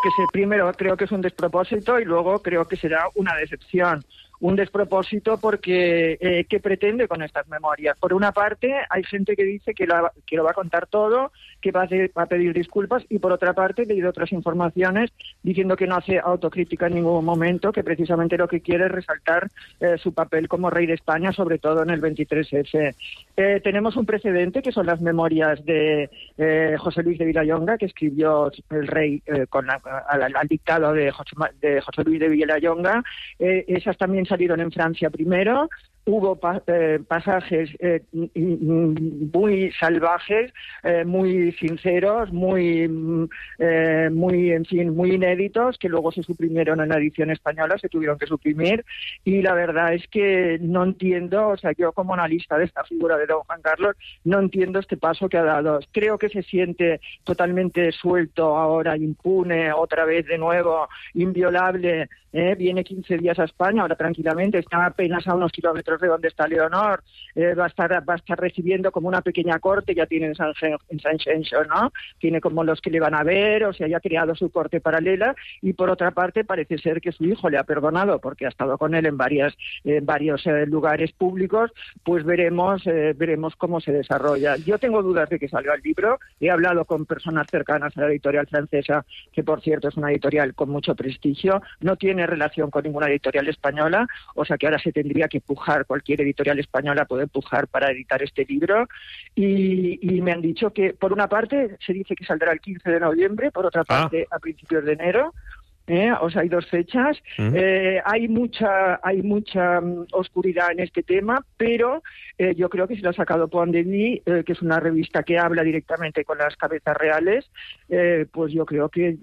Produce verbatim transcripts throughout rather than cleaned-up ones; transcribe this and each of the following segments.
que se, primero creo que es un despropósito y luego creo que será una decepción. Un despropósito porque eh, ¿qué pretende con estas memorias? Por una parte, hay gente que dice que, la, que lo va a contar todo, que va a, hacer, va a pedir disculpas, y por otra parte he leído otras informaciones diciendo que no hace autocrítica en ningún momento, que precisamente lo que quiere es resaltar eh, su papel como rey de España, sobre todo en el veintitrés efe. Eh, tenemos un precedente que son las memorias de eh, José Luis de Vilallonga, que escribió el rey eh, con la, al, al dictado de José, de José Luis de Vilallonga. Eh, esas también salieron en Francia primero. Hubo pa eh, pasajes eh, muy salvajes, eh, muy sinceros, muy, eh, muy, en fin, muy inéditos, que luego se suprimieron en la edición española, se tuvieron que suprimir, y la verdad es que no entiendo, o sea, yo como analista de esta figura de don Juan Carlos, no entiendo este paso que ha dado. Creo que se siente totalmente suelto ahora, impune, otra vez de nuevo, inviolable, eh, viene quince días a España, ahora tranquilamente, está apenas a unos kilómetros de donde está Leonor, eh, va a estar va a estar recibiendo como una pequeña corte, ya tiene en San, en San Xenxo, ¿no? Tiene como los que le van a ver, o sea, ya ha creado su corte paralela, y por otra parte parece ser que su hijo le ha perdonado porque ha estado con él en varias en varios eh, lugares públicos. Pues veremos eh, veremos cómo se desarrolla. Yo tengo dudas de que salga el libro, he hablado con personas cercanas a la editorial francesa, que por cierto es una editorial con mucho prestigio, no tiene relación con ninguna editorial española, o sea que ahora se tendría que pujar, cualquier editorial española puede pujar para editar este libro, y, y me han dicho que por una parte se dice que saldrá el quince de noviembre, por otra parte ah. a principios de enero. ¿Eh? O sea, hay dos fechas. Uh-huh. eh, hay mucha hay mucha um, oscuridad en este tema, pero eh, yo creo que se lo ha sacado Point de Vue, eh, que es una revista que habla directamente con las cabezas reales. Eh, pues yo creo que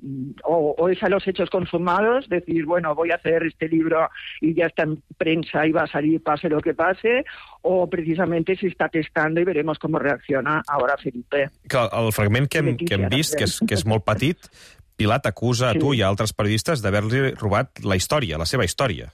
o, o es a los hechos consumados, decir, bueno, voy a hacer este libro y ya está en prensa y va a salir pase lo que pase, o precisamente se està testant i veremos com reacciona ara Felipe. Que el fragment que hem, que hem vist, que és, que és molt petit, Pilar t'acusa a tu y a otros periodistas de haberle robat la historia, la seva historia.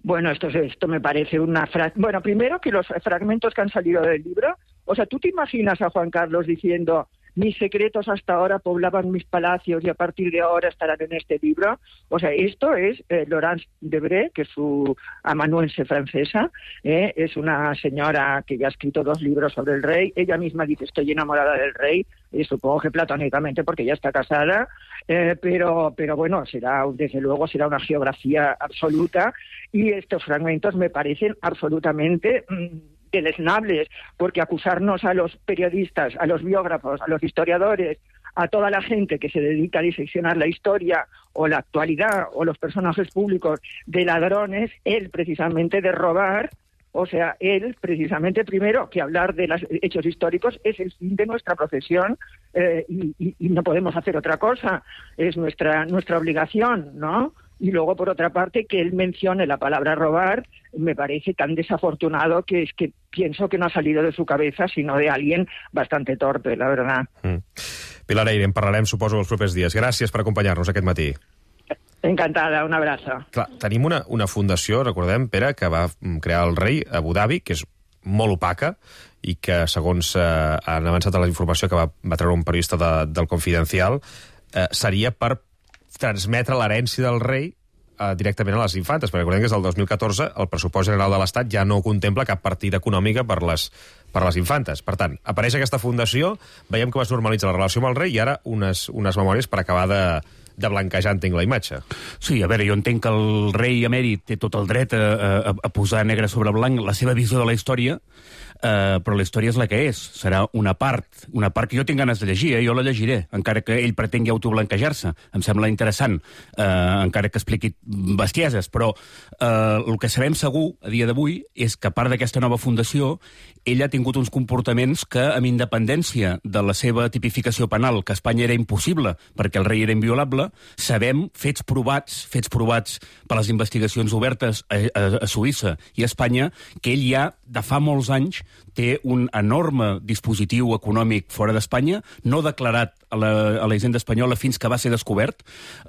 Bueno, esto, esto me parece una frase... Bueno, primero que los fragmentos que han salido del libro, o sea, ¿tú te imaginas a Juan Carlos diciendo mis secretos hasta ahora poblaban mis palacios y a partir de ahora estarán en este libro? O sea, esto es eh, Laurence Debré, que es su amanuense francesa, eh, es una señora que ya ha escrito dos libros sobre el rey. Ella misma dice, estoy enamorada del rey, y supongo que platónicamente porque ya está casada, eh, pero, pero bueno, será desde luego será una geografía absoluta, y estos fragmentos me parecen absolutamente mmm, deleznables, porque acusarnos a los periodistas, a los biógrafos, a los historiadores, a toda la gente que se dedica a diseccionar la historia o la actualidad o los personajes públicos de ladrones, él precisamente de robar. O sea, él, precisamente, primero, que hablar de los hechos históricos es el fin de nuestra profesión, eh, y, y, y no podemos hacer otra cosa, es nuestra, nuestra obligación, ¿no? Y luego, por otra parte, que él mencione la palabra robar, me parece tan desafortunado que es que pienso que no ha salido de su cabeza, sino de alguien bastante torpe, la verdad. Mm. Pilar Eyre, en parlarem, suposo, els propers dies. Gràcies per acompanyar-nos aquest matí. Encantada, un abrazo. Clar, tenim una, una fundació, recordem, Pere, que va crear el rei a Abu Dhabi, que és molt opaca, i que, segons eh, han avançat a la informació que va, va treure un periodista de, del Confidencial, eh, seria per transmetre l'herència del rei eh, directament a les infantes, perquè recordem que des del dos mil catorze el pressupost general de l'Estat ja no contempla cap partida econòmica per les, per les infantes. Per tant, apareix aquesta fundació, veiem que es normalitza la relació amb el rei, i ara unes, unes memòries per acabar de, de blanquejar, entenc, la imatge. Sí, a veure, jo entenc que el rei emèrit té tot el dret a, a, a posar negre sobre blanc la seva visió de la història, eh, però la història és la que és. Serà una part, una part que jo tinc ganes de llegir, eh? Jo la llegiré, encara que ell pretengui autoblanquejar-se. Em sembla interessant, eh, encara que expliqui bestieses, però eh, el que sabem segur a dia d'avui és que a part d'aquesta nova fundació, ell ha tingut uns comportaments que, amb independència de la seva tipificació penal, que a Espanya era impossible perquè el rei era inviolable, sabem, fets provats, fets provats per les investigacions obertes a, a, a Suïssa i a Espanya, que ell ja, de fa molts anys, té un enorme dispositiu econòmic fora d'Espanya, no declarat a la, a la hisenda espanyola fins que va ser descobert,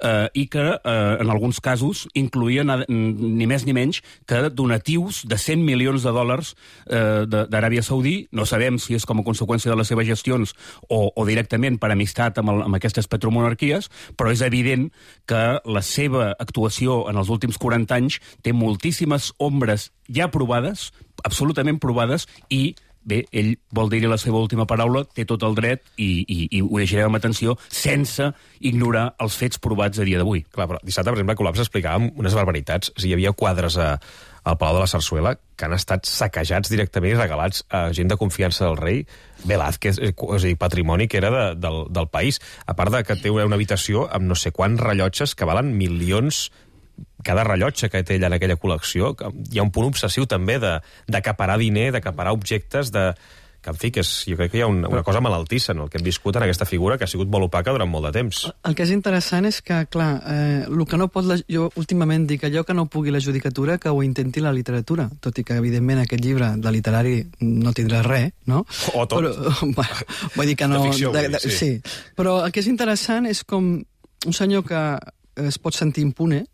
eh, i que eh, en alguns casos incloïen ni més ni menys que donatius de cent milions de dòlars eh, d'Aràbia Saudí. No sabem si és com a conseqüència de les seves gestions o, o directament per amistat amb, el, amb aquestes petromonarquies, però és evident que la seva actuació en els últims quaranta anys té moltíssimes ombres ja provades, absolutament provades, i bé, ell vol dir-hi la seva última paraula, té tot el dret i, i, i ho llegirem amb atenció sense ignorar els fets provats a dia d'avui. Clar, però dissabte, per exemple, a Col·lapse explicàvem unes barbaritats. O sigui, hi havia quadres a, al Palau de la Sarsuela que han estat saquejats directament i regalats a gent de confiança del rei. Velázquez, és a dir, patrimoni que era de, del, del país. A part de que té una habitació amb no sé quants rellotges que valen milions cada rellotge que té ella en aquella col·lecció. Hi ha un punt obsessiu també d'acaparar diner, d'acaparar objectes, de... que en fi, que és, jo crec que hi ha una, una cosa malaltissa en el que hem viscut en aquesta figura que ha sigut molt opaca durant molt de temps. El que és interessant és que, clar, eh, el que no pot la, jo últimament dic allò que no pugui la judicatura que ho intenti la literatura, tot i que evidentment aquest llibre de literari no tindrà res, no? O tot. Però, bueno, vull dir que no... De ficció, de, de, sí. sí. Però el que és interessant és com un senyor que es pot sentir impune,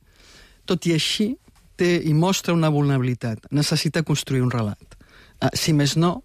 tot i així té i mostra una vulnerabilitat. Necessita construir un relat. Uh, si més no,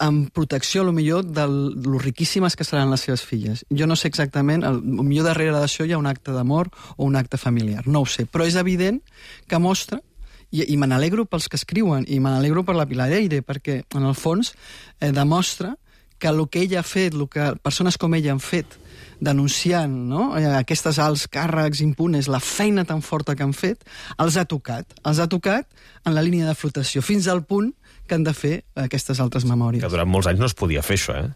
amb protecció, a lo millor, de lo riquíssimes que seran les seves filles. Jo no sé exactament, el, el millor darrere d'això hi ha un acte d'amor o un acte familiar, no ho sé, però és evident que mostra, i, i me n'alegro pels que escriuen, i me n'alegro per la Pilar Eyre, perquè, en el fons, eh, demostra que el que ella ha fet, el que persones com ella han fet, denunciant, no?, aquestes alts càrrecs impunes, la feina tan forta que han fet, els ha tocat. Els ha tocat en la línia de flotació, fins al punt que han de fer aquestes altres memòries. Que durant molts anys no es podia fer això, eh?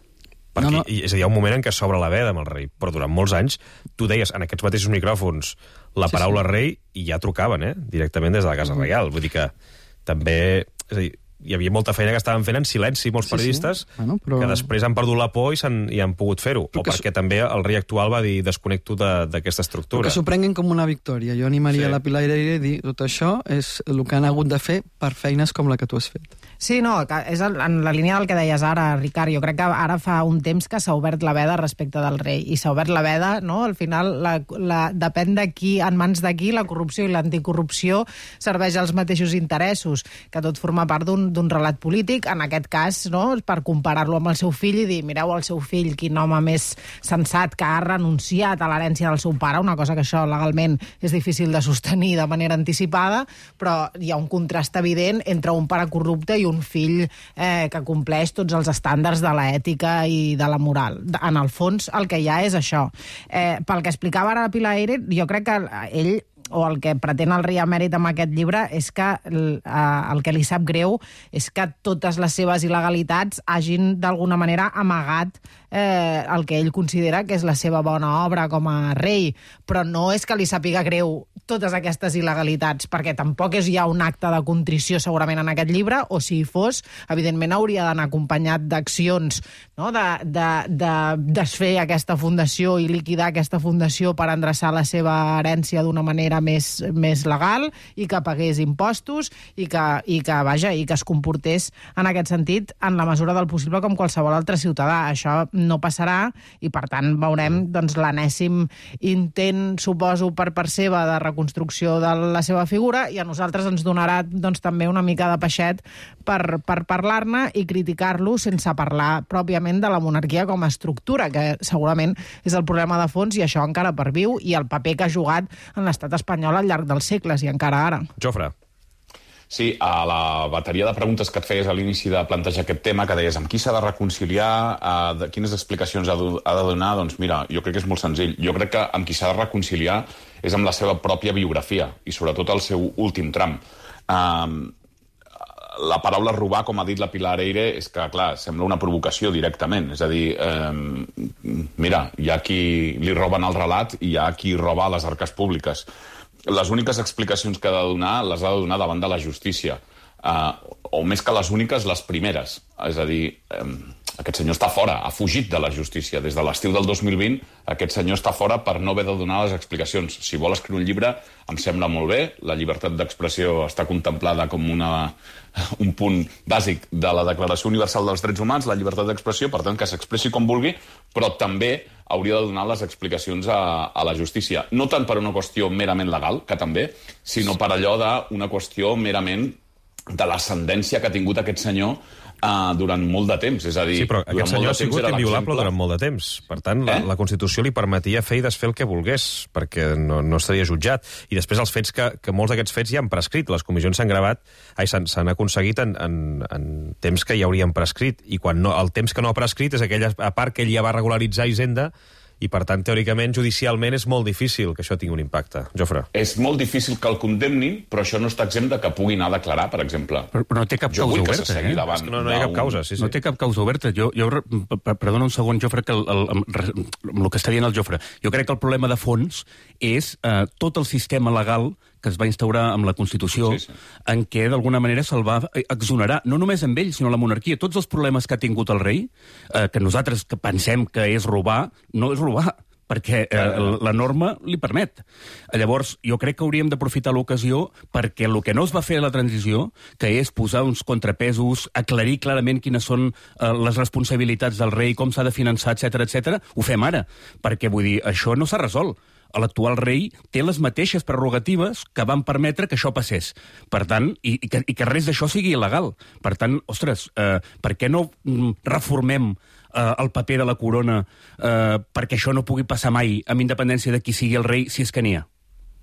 Perquè, no, no. És a dir, hi ha un moment en què s'obre la veda amb el rei, però durant molts anys, tu deies en aquests mateixos micròfons la paraula sí, sí. rei i ja trucaven, eh? Directament des de la Casa Reial. Vull dir que també... És a dir, hi havia molta feina que estaven fent en silenci molts sí, periodistes sí. Bueno, però... que després han perdut la por i, han, i han pogut fer-ho. O perquè su... també el rei actual va dir desconnecto d'aquesta estructura. Que s'ho prenguin com una victòria. Jo animaria sí. la Pilar Eyre a dir tot això és el que han hagut de fer per feines com la que tu has fet. Sí, no, és en la línia del que deies ara, Ricard. Jo crec que ara fa un temps que s'ha obert la veda respecte del rei. I s'ha obert la veda, no? Al final, la, la, depèn de qui, en mans de qui, la corrupció i l'anticorrupció serveix als mateixos interessos, que tot forma part d'un d'un relat polític, en aquest cas, no?, per comparar-lo amb el seu fill i dir, mireu el seu fill, quin home més sensat que ha renunciat a l'herència del seu pare, una cosa que això legalment és difícil de sostenir de manera anticipada, però hi ha un contrast evident entre un pare corrupte i un fill eh, que compleix tots els estàndards de l'ètica i de la moral. En el fons, el que hi ha és això. Eh, pel que explicava ara Pilar Eyre, jo crec que ell o el que pretén el rei emèrit amb aquest llibre és que el, el que li sap greu és que totes les seves il·legalitats hagin d'alguna manera amagat eh, el que ell considera que és la seva bona obra com a rei, però no és que li sàpiga greu totes aquestes il·legalitats, perquè tampoc és ja un acte de contrició segurament en aquest llibre, o si hi fos, evidentment hauria d'anar acompanyat d'accions, no?, de, de, de desfer aquesta fundació i liquidar aquesta fundació per endreçar la seva herència d'una manera més, més legal i que pagués impostos i que, i que, vaja, i que es comportés en aquest sentit en la mesura del possible com qualsevol altre ciutadà. Això no passarà i, per tant, veurem doncs, l'enèsim intent, suposo, per part seva de reconstrucció de la seva figura i a nosaltres ens donarà doncs, també una mica de peixet per, per parlar-ne i criticar-lo sense parlar pròpiament de la monarquia com a estructura, que segurament és el problema de fons i això encara perviu i el paper que ha jugat en l'estat espanyol al llarg dels segles i encara ara. Jofre. Sí, a la bateria de preguntes que et feies a l'inici de plantejar aquest tema, que deies amb qui s'ha de reconciliar, eh, de quines explicacions ha de, ha de donar, doncs mira, jo crec que és molt senzill. Jo crec que amb qui s'ha de reconciliar és amb la seva pròpia biografia i sobretot el seu últim tram. Eh, la paraula robar, com ha dit la Pilar Eyre, és que, clar, sembla una provocació directament. És a dir, eh, mira, hi ha qui li roben el relat i hi ha qui roba les arques públiques. Les úniques explicacions que ha de donar les ha de donar davant de la justícia. Uh, o més que les úniques, les primeres. És a dir, um, aquest senyor està fora, ha fugit de la justícia. Des de l'estiu del dos mil vint, aquest senyor està fora per no haver de donar les explicacions. Si vol escriure un llibre, em sembla molt bé. La llibertat d'expressió està contemplada com una, un punt bàsic de la Declaració Universal dels Drets Humans, la llibertat d'expressió, per tant, que s'expressi com vulgui, però també hauria de donar les explicacions a, a la justícia. No tant per una qüestió merament legal, que també, sinó per allò d'una qüestió merament de l'ascendència que ha tingut aquest senyor Uh, durant molt de temps, és a dir... Sí, però aquest senyor ha sigut inviolable durant molt de temps. Per tant, la, eh? la Constitució li permetia fer i desfer el que volgués, perquè no, no estaria jutjat. I després els fets que, que molts d'aquests fets ja han prescrit. Les comissions s'han gravat, ai, s'han aconseguit en, en, en temps que ja haurien prescrit. I quan no, el temps que no ha prescrit és aquella part que ell ja va regularitzar a Hisenda, i, per tant, teòricament, judicialment, és molt difícil que això tingui un impacte. Jofre. És molt difícil que el condemnin, però això no està exempt de que pugui anar a declarar, per exemple. Però, però no té cap jo causa oberta, oberta, eh? Davant, és que no, no hi ha cap causa, sí, sí. No té cap causa oberta. Jo, jo, perdona un segon, Jofre, que el, el, el, el que està dient el Jofre. Jo crec que el problema de fons és eh, tot el sistema legal que es va instaurar amb la Constitució, sí, sí. en què, d'alguna manera, se'l va exonerar, no només amb ell, sinó la monarquia. Tots els problemes que ha tingut el rei, eh, que nosaltres que pensem que és robar, no és robar, perquè eh, la norma li permet. Llavors, jo crec que hauríem d'aprofitar l'ocasió perquè el que no es va fer a la transició, que és posar uns contrapesos, aclarir clarament quines són eh, les responsabilitats del rei, com s'ha de finançar, etcètera, etcètera, ho fem ara. Perquè, vull dir, això no s'ha resolt. L'actual rei té les mateixes prerrogatives que van permetre que això passés. Per tant, i, i, que, i que res d'això sigui il·legal. Per tant, ostres, eh, per què no mm, reformem eh, el paper de la corona eh, perquè això no pugui passar mai, amb independència de qui sigui el rei, si és que n'hi ha?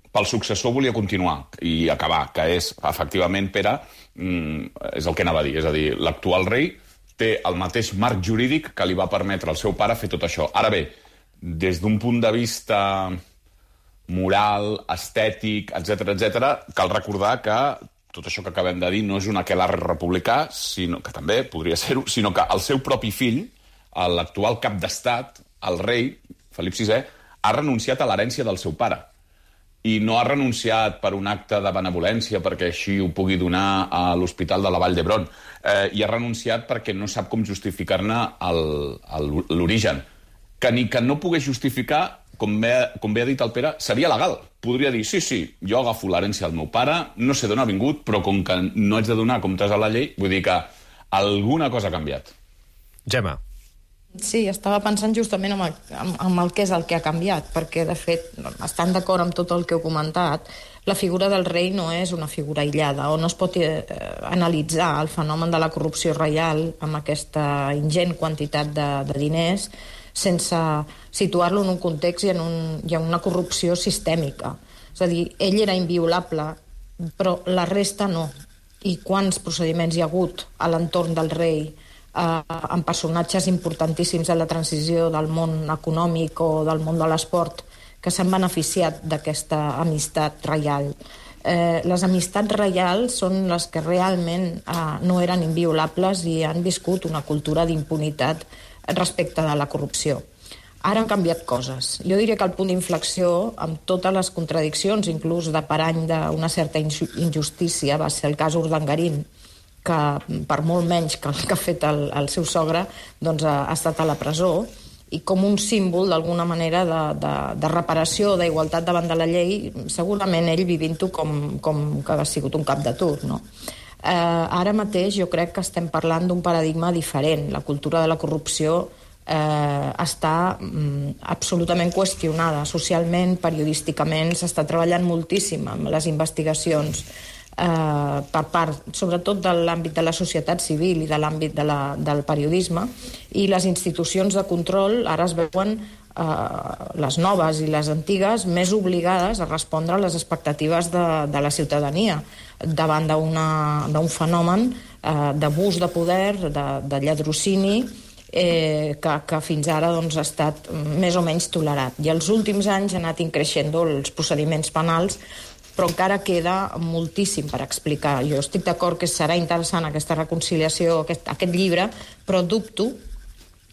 Pel successor volia continuar i acabar, que és, efectivament, Pere, mm, és el que anava a dir. És a dir, l'actual rei té el mateix marc jurídic que li va permetre al seu pare fer tot això. Ara bé, des d'un punt de vista moral, estètic, etcètera, etcètera, cal recordar que tot això que acabem de dir no és un aquelarre republicà, sinó que també podria ser-ho, sinó que el seu propi fill, l'actual cap d'estat, el rei, Felip sisè, ha renunciat a l'herència del seu pare. I no ha renunciat per un acte de benevolència, perquè així ho pugui donar a l'Hospital de la Vall d'Hebron. Eh, I ha renunciat perquè no sap com justificar-ne l'origen. Que ni que no pogués justificar, com bé, com bé ha dit el Pere, seria legal. Podria dir, sí, sí, jo agafo l'herència del meu pare, no sé d'on ha vingut, però com que no haig de donar comptes a la llei, vull dir que alguna cosa ha canviat. Gemma. Sí, estava pensant justament en el, en, en el que és el que ha canviat, perquè, de fet, estant d'acord amb tot el que heu comentat, la figura del rei no és una figura aïllada, o no es pot eh, analitzar el fenomen de la corrupció reial amb aquesta ingent quantitat de, de diners sense situar-lo en un context i en, un, i en una corrupció sistèmica. És a dir, ell era inviolable, però la resta no. I quants procediments hi ha hagut a l'entorn del rei eh, amb personatges importantíssims de la transició del món econòmic o del món de l'esport que s'han beneficiat d'aquesta amistat reial. Eh, les amistats reials són les que realment eh, no eren inviolables i han viscut una cultura d'impunitat respecte de la corrupció. Ara han canviat coses. Jo diria que el punt d'inflexió, amb totes les contradiccions, inclús de parany d'una certa injustícia, va ser el cas Urdangarín, que per molt menys que el que ha fet el, el seu sogre, doncs ha, ha estat a la presó, i com un símbol, d'alguna manera, de, de, de reparació, d'igualtat davant de la llei, segurament ell vivint-ho com, com que ha sigut un cap de tur, no? Eh, ara mateix jo crec que estem parlant d'un paradigma diferent. La cultura de la corrupció eh, està mm, absolutament qüestionada socialment, periodísticament, s'està treballant moltíssim amb les investigacions eh, per part, sobretot de l'àmbit de la societat civil i de l'àmbit de la, del periodisme, i les institucions de control ara es veuen eh, les noves i les antigues més obligades a respondre a les expectatives de, de la ciutadania davant d'un fenomen eh, d'abús de poder, de, de lladrocini, eh, que, que fins ara doncs, ha estat més o menys tolerat. I els últims anys ha anat increixent els procediments penals, però encara queda moltíssim per explicar. Jo estic d'acord que serà interessant aquesta reconciliació, aquest, aquest llibre, però dubto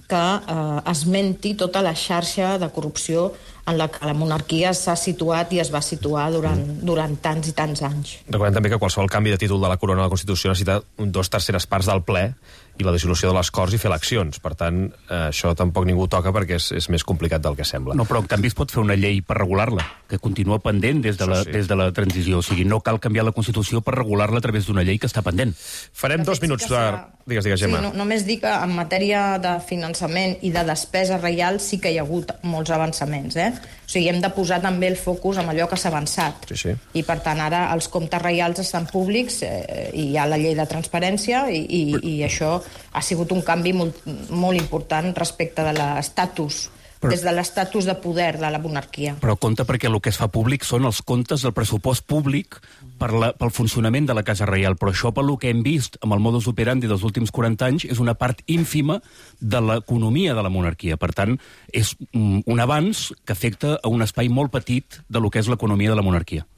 que eh, esmenti tota la xarxa de corrupció en la que la monarquia s'ha situat i es va situar durant, durant tants i tants anys. Recordem també que qualsevol canvi de títol de la corona a la Constitució necessita dos terceres parts del ple i la dissolució de les Corts i fer eleccions. Per tant, eh, això tampoc ningú toca perquè és, és més complicat del que sembla. No, però en canvi es pot fer una llei per regular-la, que continua pendent des de, la, sí. des de la transició. O sigui, no cal canviar la Constitució per regular-la a través d'una llei que està pendent. Farem dos minuts de... Digues, digues, Gemma. Sí, no, només dic que en matèria de finançament i de despesa reial sí que hi ha hagut molts avançaments, eh? O sigui, hem de posar també el focus en allò que s'ha avançat. Sí, sí. I, per tant, ara els comptes reials estan públics eh, i hi ha la llei de transparència i, i, i això ha sigut un canvi molt, molt important respecte de l'estatus, Però... des de l'estatus de poder de la monarquia. Però compte perquè el que es fa públic són els comptes del pressupost públic per la, pel funcionament de la Casa Reial. Però això, pel que hem vist amb el modus operandi dels últims quaranta anys, és una part ínfima de l'economia de la monarquia. Per tant, és un avanç que afecta a un espai molt petit de lo que és l'economia de la monarquia.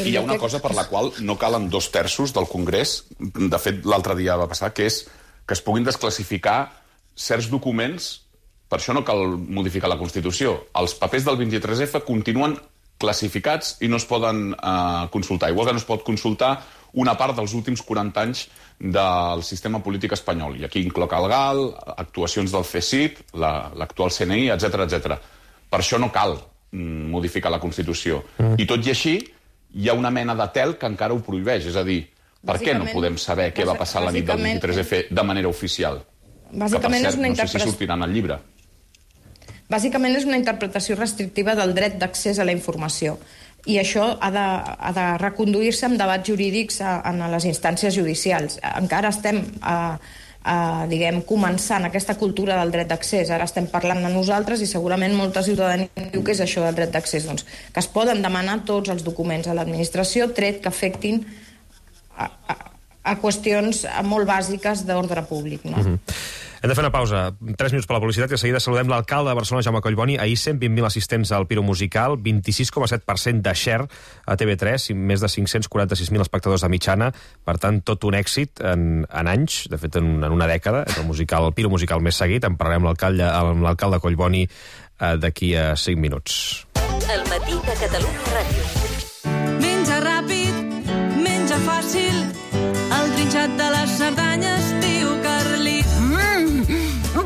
I hi ha una cosa per la qual no calen dos terços del Congrés, de fet l'altre dia va passar, que és que es puguin desclassificar certs documents. Per això no cal modificar la Constitució. Els papers del vint-i-tres efa continuen classificats i no es poden eh, consultar. Igual que no es pot consultar una part dels últims quaranta anys del sistema polític espanyol. I aquí incloc el G A L, actuacions del C S I P, l'actual C N I, etcètera, etcètera. Per això no cal mm, modificar la Constitució. Mm. I tot i així, hi ha una mena de tel que encara ho prohibeix. És a dir, per què no podem saber què va passar la nit del vint-i-tres efa de manera oficial? Bàsicament que, per cert, és una no sé si sortirà en el llibre. Bàsicament és una interpretació restrictiva del dret d'accés a la informació. I això ha de, ha de reconduir-se amb debats jurídics a, a les instàncies judicials. Encara estem a, a, diguem, començant aquesta cultura del dret d'accés. Ara estem parlant de nosaltres i segurament molta ciutadania diu que és això del dret d'accés. Doncs que es poden demanar tots els documents a l'administració, tret que afectin a, a, a qüestions molt bàsiques d'ordre públic, no? Mm-hmm. Hem de fer una pausa. Tres minuts per la publicitat i de seguida saludem l'alcalde de Barcelona, Jaume Collboni. Ahir cent vint mil assistents al Piro Musical, vint-i-sis coma set per cent de share a T V tres i més de cinc-cents quaranta-sis mil espectadors de mitjana. Per tant, tot un èxit en, en anys, de fet, en, en una dècada. És el, musical, el Piro Musical més seguit. En parlarem amb l'alcalde Collboni eh, d'aquí a cinc minuts. El matí de Catalunya Ràdio. Menja ràpid, menja fàcil, el trinxat de les Cerdanyes, tio Carlit.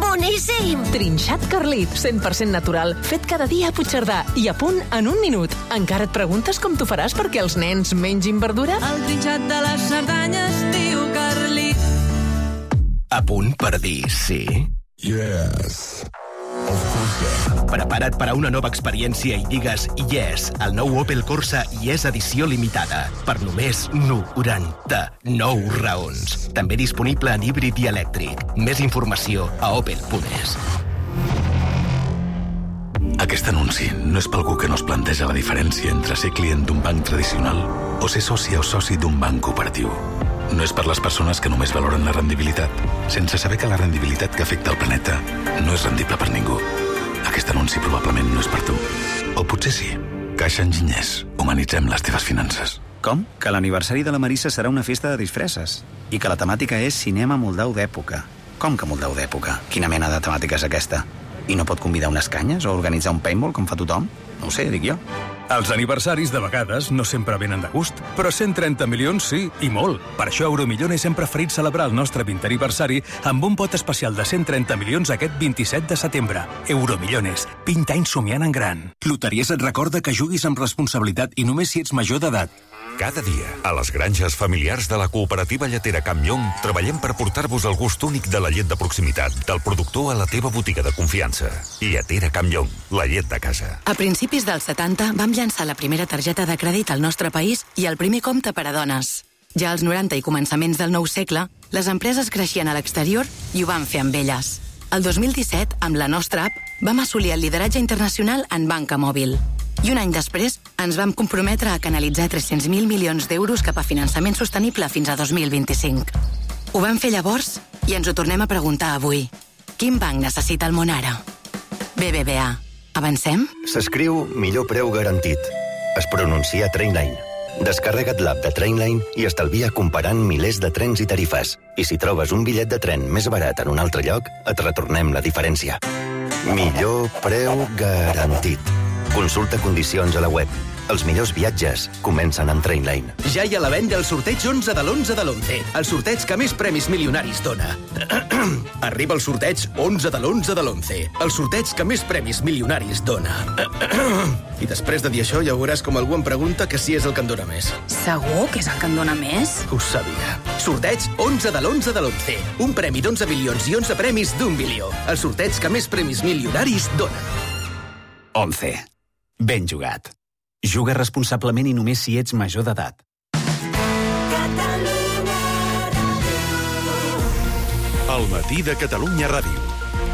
Boníssim! Trinxat Carlit, cent per cent natural, fet cada dia a Puigcerdà i a punt en un minut. Encara et preguntes com t'ho faràs perquè els nens mengin verdura? El trinxat de les Cerdanyes, tio Carlit. A punt per dir sí? Yes. Prepara't per a una nova experiència i digues yes al nou Opel Corsa Yes edició limitada per només noranta-nou raons. També disponible en híbrid i elèctric. Més informació a opel punt es. Aquest anunci no és per algú que no es planteja la diferència entre ser client d'un banc tradicional o ser soci o soci d'un banc cooperatiu. No és per les persones que només valoren la rendibilitat, sense saber que la rendibilitat que afecta el planeta no és rendible per ningú. Aquest anunci probablement no és per tu. O potser sí. Caixa Enginyers. Humanitzem les teves finances. Com? Que l'aniversari de la Marissa serà una festa de disfresses. I que la temàtica és cinema moldau d'època. Com que moldau d'època? Quina mena de temàtica és aquesta? I no pot convidar unes canyes o organitzar un paintball com fa tothom? No ho sé, dic jo. Els aniversaris de vegades no sempre venen de gust, però cent trenta milions sí, i molt. Per això Euromillones hem preferit celebrar el nostre vintè aniversari amb un pot especial de cent trenta milions aquest vint-i-set de setembre. Euromillones, vint anys somiant en gran. Loteries et recorda que juguis amb responsabilitat i només si ets major d'edat. Cada dia, a les granges familiars de la cooperativa lletera Camp Llong, treballem per portar-vos el gust únic de la llet de proximitat, del productor a la teva botiga de confiança. Lletera Camp Llong, la llet de casa. A principis dels setanta vam llançar la primera targeta de crèdit al nostre país i el primer compte per a dones. Ja als noranta i començaments del nou segle, les empreses creixien a l'exterior i ho van fer amb elles. El dos mil disset, amb la nostra app, vam assolir el lideratge internacional en banca mòbil. I un any després ens vam comprometre a canalitzar tres-cents mil milions d'euros cap a finançament sostenible fins a dos mil vint-i-cinc. Ho vam fer llavors i ens ho tornem a preguntar avui. Quin banc necessita el món ara? B B V A. Avancem? S'escriu millor preu garantit. Es pronuncia Trainline. Descarrega't l'app de Trainline i estalvia comparant milers de trens i tarifes. I si trobes un bitllet de tren més barat en un altre lloc, et retornem la diferència. Millor preu garantit. Consulta condicions a la web. Els millors viatges comencen amb Trainline. Ja hi ha a la venda el sorteig onze de l'onze de l'onze, el sorteig que més premis milionaris dona. Arriba el sorteig onze de l'onze de l'onze, el sorteig que més premis milionaris dona. I després de dir això ja veuràs com algú em pregunta que si és el que en dona més. Segur que és el que en dona més? Ho sabia. Sorteig onze de l'onze de l'onze, un premi d'onze milions i onze premis d'un milió. El sorteig que més premis milionaris dona. onze. Ben jugat. Juga responsablement i només si ets major d'edat. El matí de Catalunya Ràdio.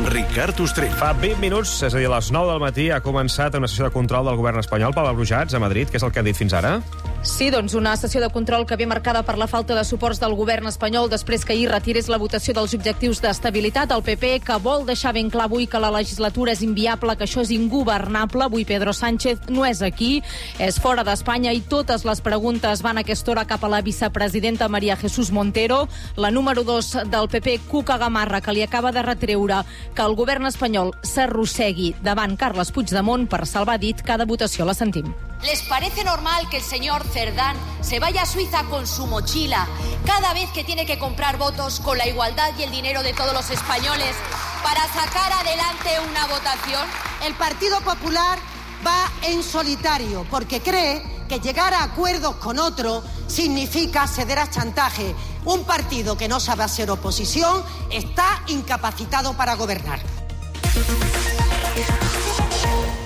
Ricard Ostrell. Fa vint minuts, és a dir, a les nou del matí, ha començat una sessió de control del govern espanyol per Brujats, a Madrid. Què és el que han dit fins ara? Sí, doncs una sessió de control que ve marcada per la falta de suports del govern espanyol després que ahir retirés la votació dels objectius d'estabilitat. El P P, que vol deixar ben clar avui que la legislatura és inviable, que això és ingovernable. Avui Pedro Sánchez no és aquí, és fora d'Espanya i totes les preguntes van a aquesta hora cap a la vicepresidenta María Jesús Montero. La número dos del P P, Cuca Gamarra, que li acaba de retreure que el govern espanyol s'arrossegui davant Carles Puigdemont per salvar dit. Cada votació la sentim. ¿Les parece normal que el señor Cerdán se vaya a Suiza con su mochila cada vez que tiene que comprar votos con la igualdad y el dinero de todos los españoles para sacar adelante una votación? El Partido Popular va en solitario porque cree que llegar a acuerdos con otro significa ceder a chantaje. Un partido que no sabe hacer oposición está incapacitado para gobernar.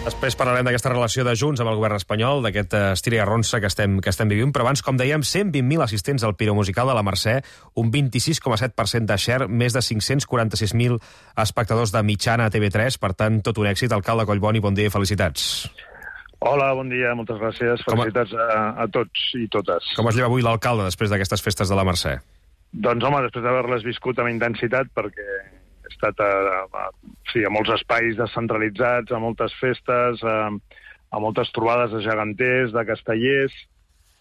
Després parlarem d'aquesta relació de Junts amb el govern espanyol, d'aquest estira i arronsa que estem, que estem vivint, però abans, com dèiem, cent vint mil assistents al Piro Musical de la Mercè, un vint-i-sis coma set per cent de share, més de cinc-cents quaranta-sis mil espectadors de mitjana a T V tres, per tant, tot un èxit. Alcalde Collboni, bon dia i felicitats. Hola, bon dia, moltes gràcies. Felicitats a, a tots i totes. Com es lleva avui l'alcalde després d'aquestes festes de la Mercè? Doncs, home, després d'haver-les viscut amb intensitat, perquè he estat a, a, sí, a molts espais descentralitzats, a moltes festes, a, a moltes trobades de geganters, de castellers,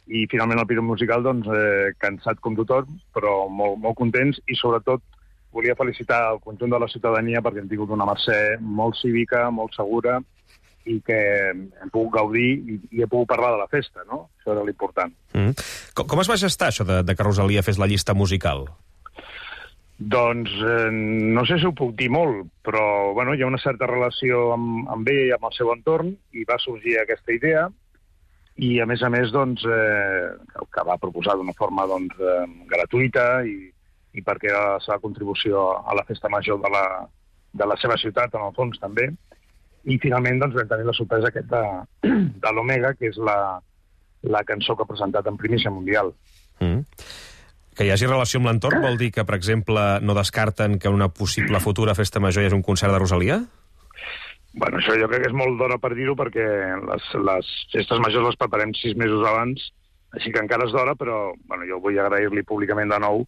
i finalment el Piro Musical, doncs, eh, cansat com tothom, però molt, molt contents, i sobretot volia felicitar el conjunt de la ciutadania perquè hem tingut una Mercè molt cívica, molt segura, i que hem pogut gaudir i, i he pogut parlar de la festa, no? Això era l'important. Mm. Com, com es va gestar això de, de que Rosalia fes la llista musical? Doncs eh, no sé si ho puc dir molt, però bueno, hi ha una certa relació amb, amb ell i amb el seu entorn, i va sorgir aquesta idea, i a més a més, doncs, eh, que va proposar d'una forma doncs, eh, gratuïta, i, i perquè era la seva contribució a la festa major de la, de la seva ciutat, en el fons, també. I finalment doncs, vam tenir la sorpresa aquest de, de l'Omega, que és la, la cançó que ha presentat en primícia mundial. Mm. Que hi hagi relació amb l'entorn vol dir que, per exemple, no descarten que una possible futura festa major hi hagi un concert de Rosalia? Bueno, això jo crec que és molt d'hora per dir-ho, perquè les, les festes majors les preparem sis mesos abans, així que encara és d'hora, però bueno, jo vull agrair-li públicament de nou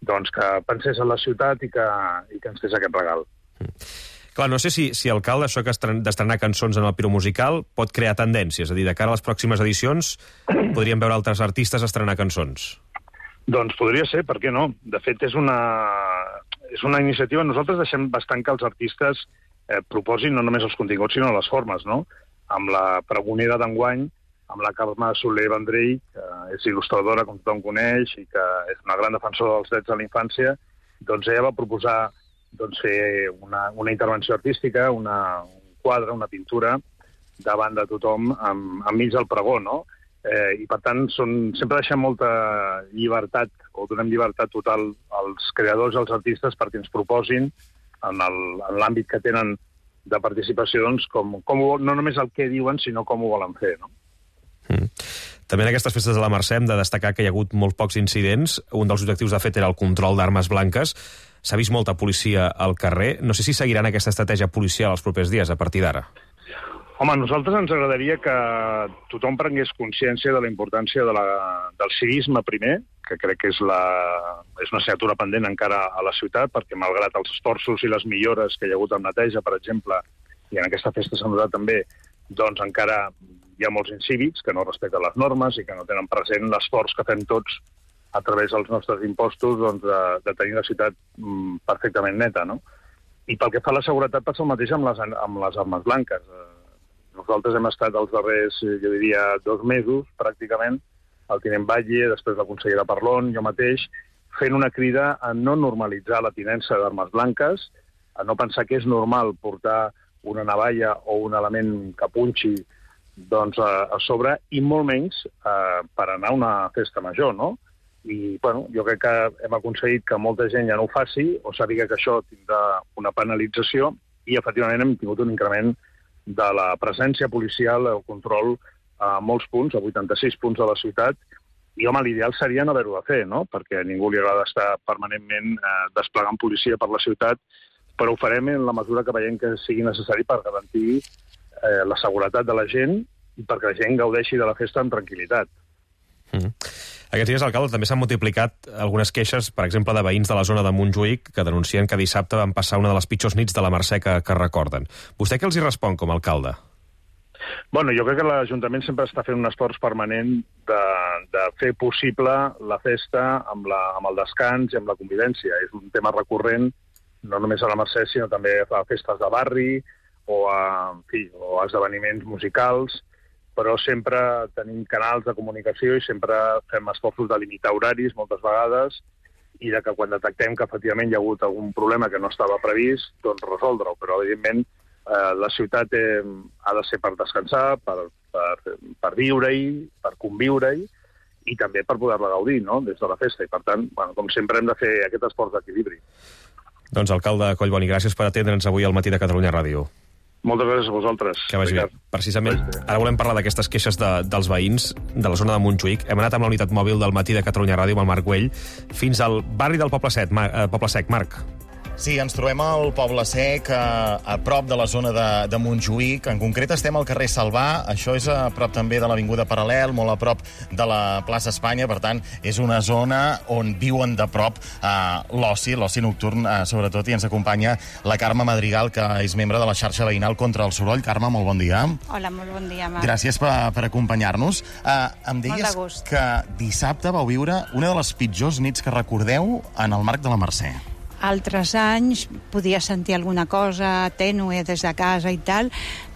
doncs, que pensés en la ciutat i que, i que ens fes aquest regal. Mm. Clar, no sé si, si alcalde, això que d'estrenar cançons en el Piro Musical pot crear tendències, és a dir, de cara a les pròximes edicions podríem veure altres artistes estrenar cançons. Doncs podria ser, per què no? De fet, és una, és una iniciativa. Nosaltres deixem bastant que els artistes eh, proposin no només els continguts, sinó les formes, no? Amb la pregonera d'enguany, amb la Carme Soler Vendrell, que és il·lustradora, com tothom coneix, i que és una gran defensora dels drets de la infància, doncs ella va proposar doncs, fer una, una intervenció artística, una, un quadre, una pintura, davant de tothom, amb, enmig del pregó, no? Eh, I, per tant, són, sempre deixem molta llibertat, o donem llibertat total als creadors i als artistes perquè ens proposin, en l'àmbit que tenen de participació, doncs, com, com ho, no només el que diuen, sinó com ho volen fer, no? Mm. També en aquestes festes de la Mercè hem de destacar que hi ha hagut molt pocs incidents. Un dels objectius, de fet, era el control d'armes blanques. S'ha vist molta policia al carrer. No sé si seguiran aquesta estratègia policial els propers dies, a partir d'ara. Home, a nosaltres ens agradaria que tothom prengués consciència de la importància de la, del civisme primer, que crec que és, la, és una assignatura pendent encara a la ciutat, perquè malgrat els esforços i les millores que hi ha hagut en neteja, per exemple, i en aquesta festa s'ha notat també, doncs encara hi ha molts incívics que no respecten les normes i que no tenen present l'esforç que fem tots a través dels nostres impostos doncs, de, de tenir la ciutat mm, perfectament neta, no? I pel que fa a la seguretat passa el mateix amb les, amb les armes blanques. Nosaltres hem estat els darrers, jo diria, dos mesos, pràcticament, el tinent Batlle, després la consellera Parlon, jo mateix, fent una crida a no normalitzar la tinença d'armes blanques, a no pensar que és normal portar una navalla o un element que punxi doncs, a, a sobre, i molt menys eh, per anar a una festa major, no? I, bueno, jo crec que hem aconseguit que molta gent ja no ho faci, o sàpiga que això tindrà una penalització, i efectivament hem tingut un increment de la presència policial, el control a molts punts, a vuitanta-sis punts de la ciutat, i, home, l'ideal seria no haver-ho de fer, no? Perquè a ningú li agrada estar permanentment eh, desplegant policia per la ciutat, però ho farem en la mesura que veiem que sigui necessari per garantir eh, la seguretat de la gent i perquè la gent gaudeixi de la festa amb tranquil·litat. Mm. Aquests dies, alcalde, també s'han multiplicat algunes queixes, per exemple, de veïns de la zona de Montjuïc que denuncien que dissabte van passar una de les pitjors nits de la Mercè que, que recorden. Vostè què els hi respon com a alcalde? Bueno, jo crec que l'Ajuntament sempre està fent un esforç permanent de, de fer possible la festa amb, la, amb el descans i amb la convivència. És un tema recurrent, no només a la Mercè, sinó també a festes de barri o a, en fi, o a esdeveniments musicals, però sempre tenim canals de comunicació i sempre fem esforços de limitar horaris moltes vegades i de que quan detectem que efectivament hi ha hagut algun problema que no estava previst, doncs resoldre-ho. Però, evidentment, eh, la ciutat eh, ha de ser per descansar, per, per, per viure-hi, per conviure-hi i també per poder-la gaudir, no?, des de la festa. I, per tant, bueno, com sempre, hem de fer aquest esforç d'equilibri. Doncs, alcalde Collboni, gràcies per atendre'ns avui al Matí de Catalunya Ràdio. Moltes gràcies a vosaltres. Que vagi bé. Precisament, ara volem parlar d'aquestes queixes de, dels veïns de la zona de Montjuïc. Hem anat amb la unitat mòbil del Matí de Catalunya Ràdio amb el Marc Güell fins al barri del Poble Sec. Mar, eh, Poble Sec. Marc. Sí, ens trobem al Poble Sec, a, a prop de la zona de, de Montjuïc. En concret estem al carrer Salvà. Això és a prop també de l'Avinguda Paral·lel, molt a prop de la plaça Espanya. Per tant, és una zona on viuen de prop eh, l'oci, l'oci nocturn, eh, sobretot, i ens acompanya la Carme Madrigal, que és membre de la xarxa veïnal contra el soroll. Carme, molt bon dia. Hola, molt bon dia, Marc. Gràcies per, per acompanyar-nos. Eh, em deies que dissabte vau viure una de les pitjors nits que recordeu en el marc de la Mercè. Altres anys podia sentir alguna cosa tènue des de casa i tal,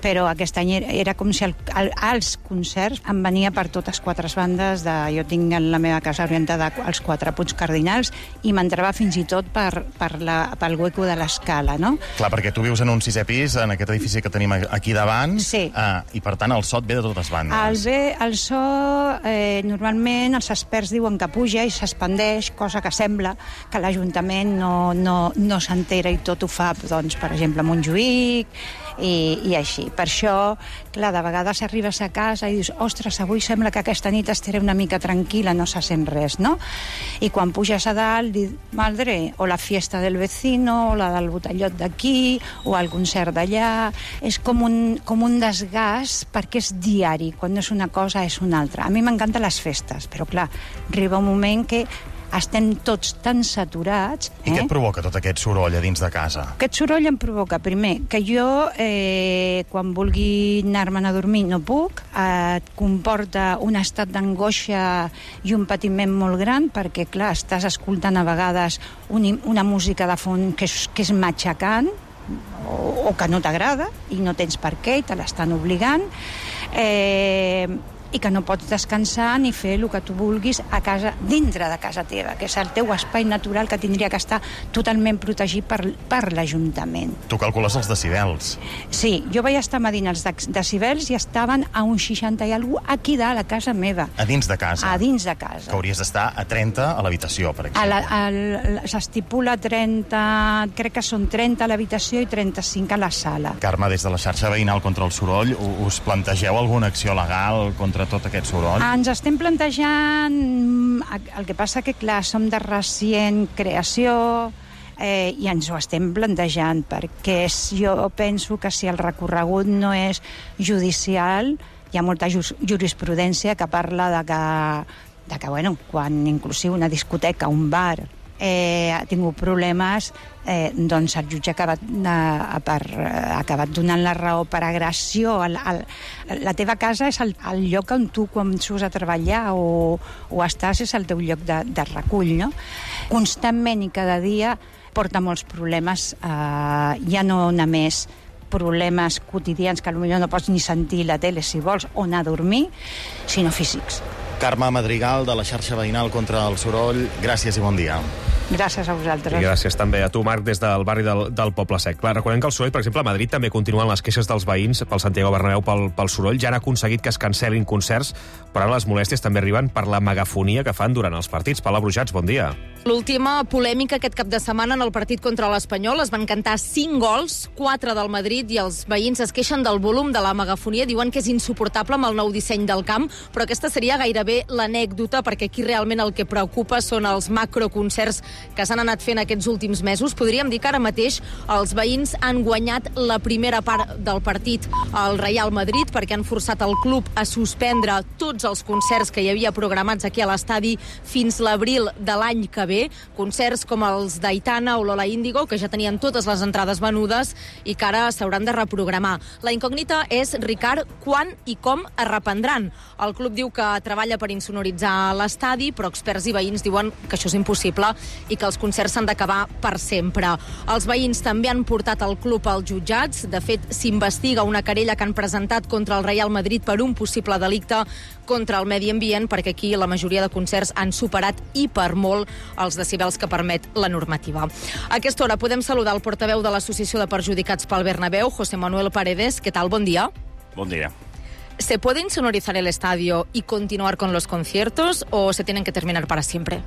però aquest any era com si el, el, els concerts em venia per totes quatre bandes. De, jo tinc la meva casa orientada als quatre punts cardinals i m'entrava fins i tot per, per la, pel hueco de l'escala, no? Clar, perquè tu vius en un sisè pis, en aquest edifici que tenim aquí davant, sí. eh, i per tant el so et ve de totes bandes. El, ve, el so, eh, normalment els experts diuen que puja i s'expandeix, cosa que sembla que l'Ajuntament no, no, no s'entera i tot ho fa, doncs, per exemple, a Montjuïc i, i així. Per això, clar, de vegades arribes a casa i dius, ostres, avui sembla que aquesta nit estaré una mica tranquil·la, no se sent res, no? I quan puges a dalt, dius, madre, o la fiesta del vecino, o la del botellot d'aquí, o el concert d'allà. És com un, com un desgast perquè és diari, quan no és una cosa és una altra. A mi m'encanten les festes, però clar, arriba un moment que estem tots tan saturats... I eh? Què et provoca tot aquest soroll a dins de casa? Aquest soroll em provoca, primer, que jo, eh, quan vulgui anar-me'n a dormir, no puc. Eh, et comporta un estat d'angoixa i un patiment molt gran, perquè, clar, estàs escoltant a vegades un, una música de fons que és, que és matxacant, o, o que no t'agrada, i no tens per què, i te l'estan obligant. Eh... i que no pots descansar ni fer el que tu vulguis a casa, dintre de casa teva, que és el teu espai natural que tindria que estar totalment protegit per, per l'Ajuntament. Tu calcules els decibels. Sí, jo vaig estar medint els decibels i estaven a un seixanta i alguna cosa aquí dalt, a casa meva. A dins de casa? A dins de casa. Que hauries d'estar a trenta a l'habitació, per exemple. S'estipula trenta, crec que són trenta a l'habitació i trenta-cinc a la sala. Carme, des de la xarxa veïnal contra el soroll, us plantegeu alguna acció legal contra tot aquest soroll? Ens estem plantejant... El que passa que, clar, som de recient creació eh, i ens ho estem plantejant, perquè jo penso que si el recorregut no és judicial, hi ha molta ju jurisprudència que parla de que, de que bueno, quan inclusive una discoteca, un bar, eh, ha tingut problemes, eh, doncs el jutge ha acabat, eh, per, ha acabat donant la raó per agressió. El, el, la teva casa és el, el lloc on tu, quan surts a treballar o, o estàs, és el teu lloc de, de recull, no? Constantment i cada dia porta molts problemes, eh, ja no només problemes quotidians que potser no pots ni sentir la tele si vols o anar a dormir, sinó físics. Carme Madrigal, de la xarxa veïnal contra el soroll, gràcies i bon dia. Gràcies a vosaltres. I gràcies també a tu, Marc, des del barri del, del Poble Sec. Clar, recordem que el soroll, per exemple, a Madrid també continuen les queixes dels veïns pel Santiago Bernabéu pel, pel soroll. Ja han aconseguit que es cancel·lin concerts, però ara les molèsties també arriben per la megafonia que fan durant els partits. Paula Brujats, bon dia. L'última polèmica aquest cap de setmana en el partit contra l'Espanyol es van cantar cinc gols, quatre del Madrid, i els veïns es queixen del volum de la megafonia, diuen que és insuportable amb el nou disseny del camp, però aquesta seria gairebé l'anècdota, perquè aquí realment el que preocupa són els macroconcerts que s'han anat fent aquests últims mesos. Podríem dir que ara mateix els veïns han guanyat la primera part del partit al Real Madrid, perquè han forçat el club a suspendre tots els concerts que hi havia programats aquí a l'estadi fins l'abril de l'any que ve. Concerts com els d'Aitana o Lola Índigo, que ja tenien totes les entrades venudes i que ara s'hauran de reprogramar. La incògnita és, Ricard, quan i com es reprendran. El club diu que treballa per insonoritzar l'estadi, però experts i veïns diuen que això és impossible i que els concerts s'han d'acabar per sempre. Els veïns també han portat el club als jutjats. De fet, s'investiga una querella que han presentat contra el Real Madrid per un possible delicte contra el medi ambient, perquè aquí la majoria de concerts han superat i per molt els decibels que permet la normativa. A aquesta hora podem saludar el portaveu de l'Associació de Perjudicats pel Bernabéu, José Manuel Paredes. ¿Qué tal? Bon dia. Bon dia. ¿Se puede insonorizar el estadio y continuar con los conciertos o se tienen que terminar para siempre?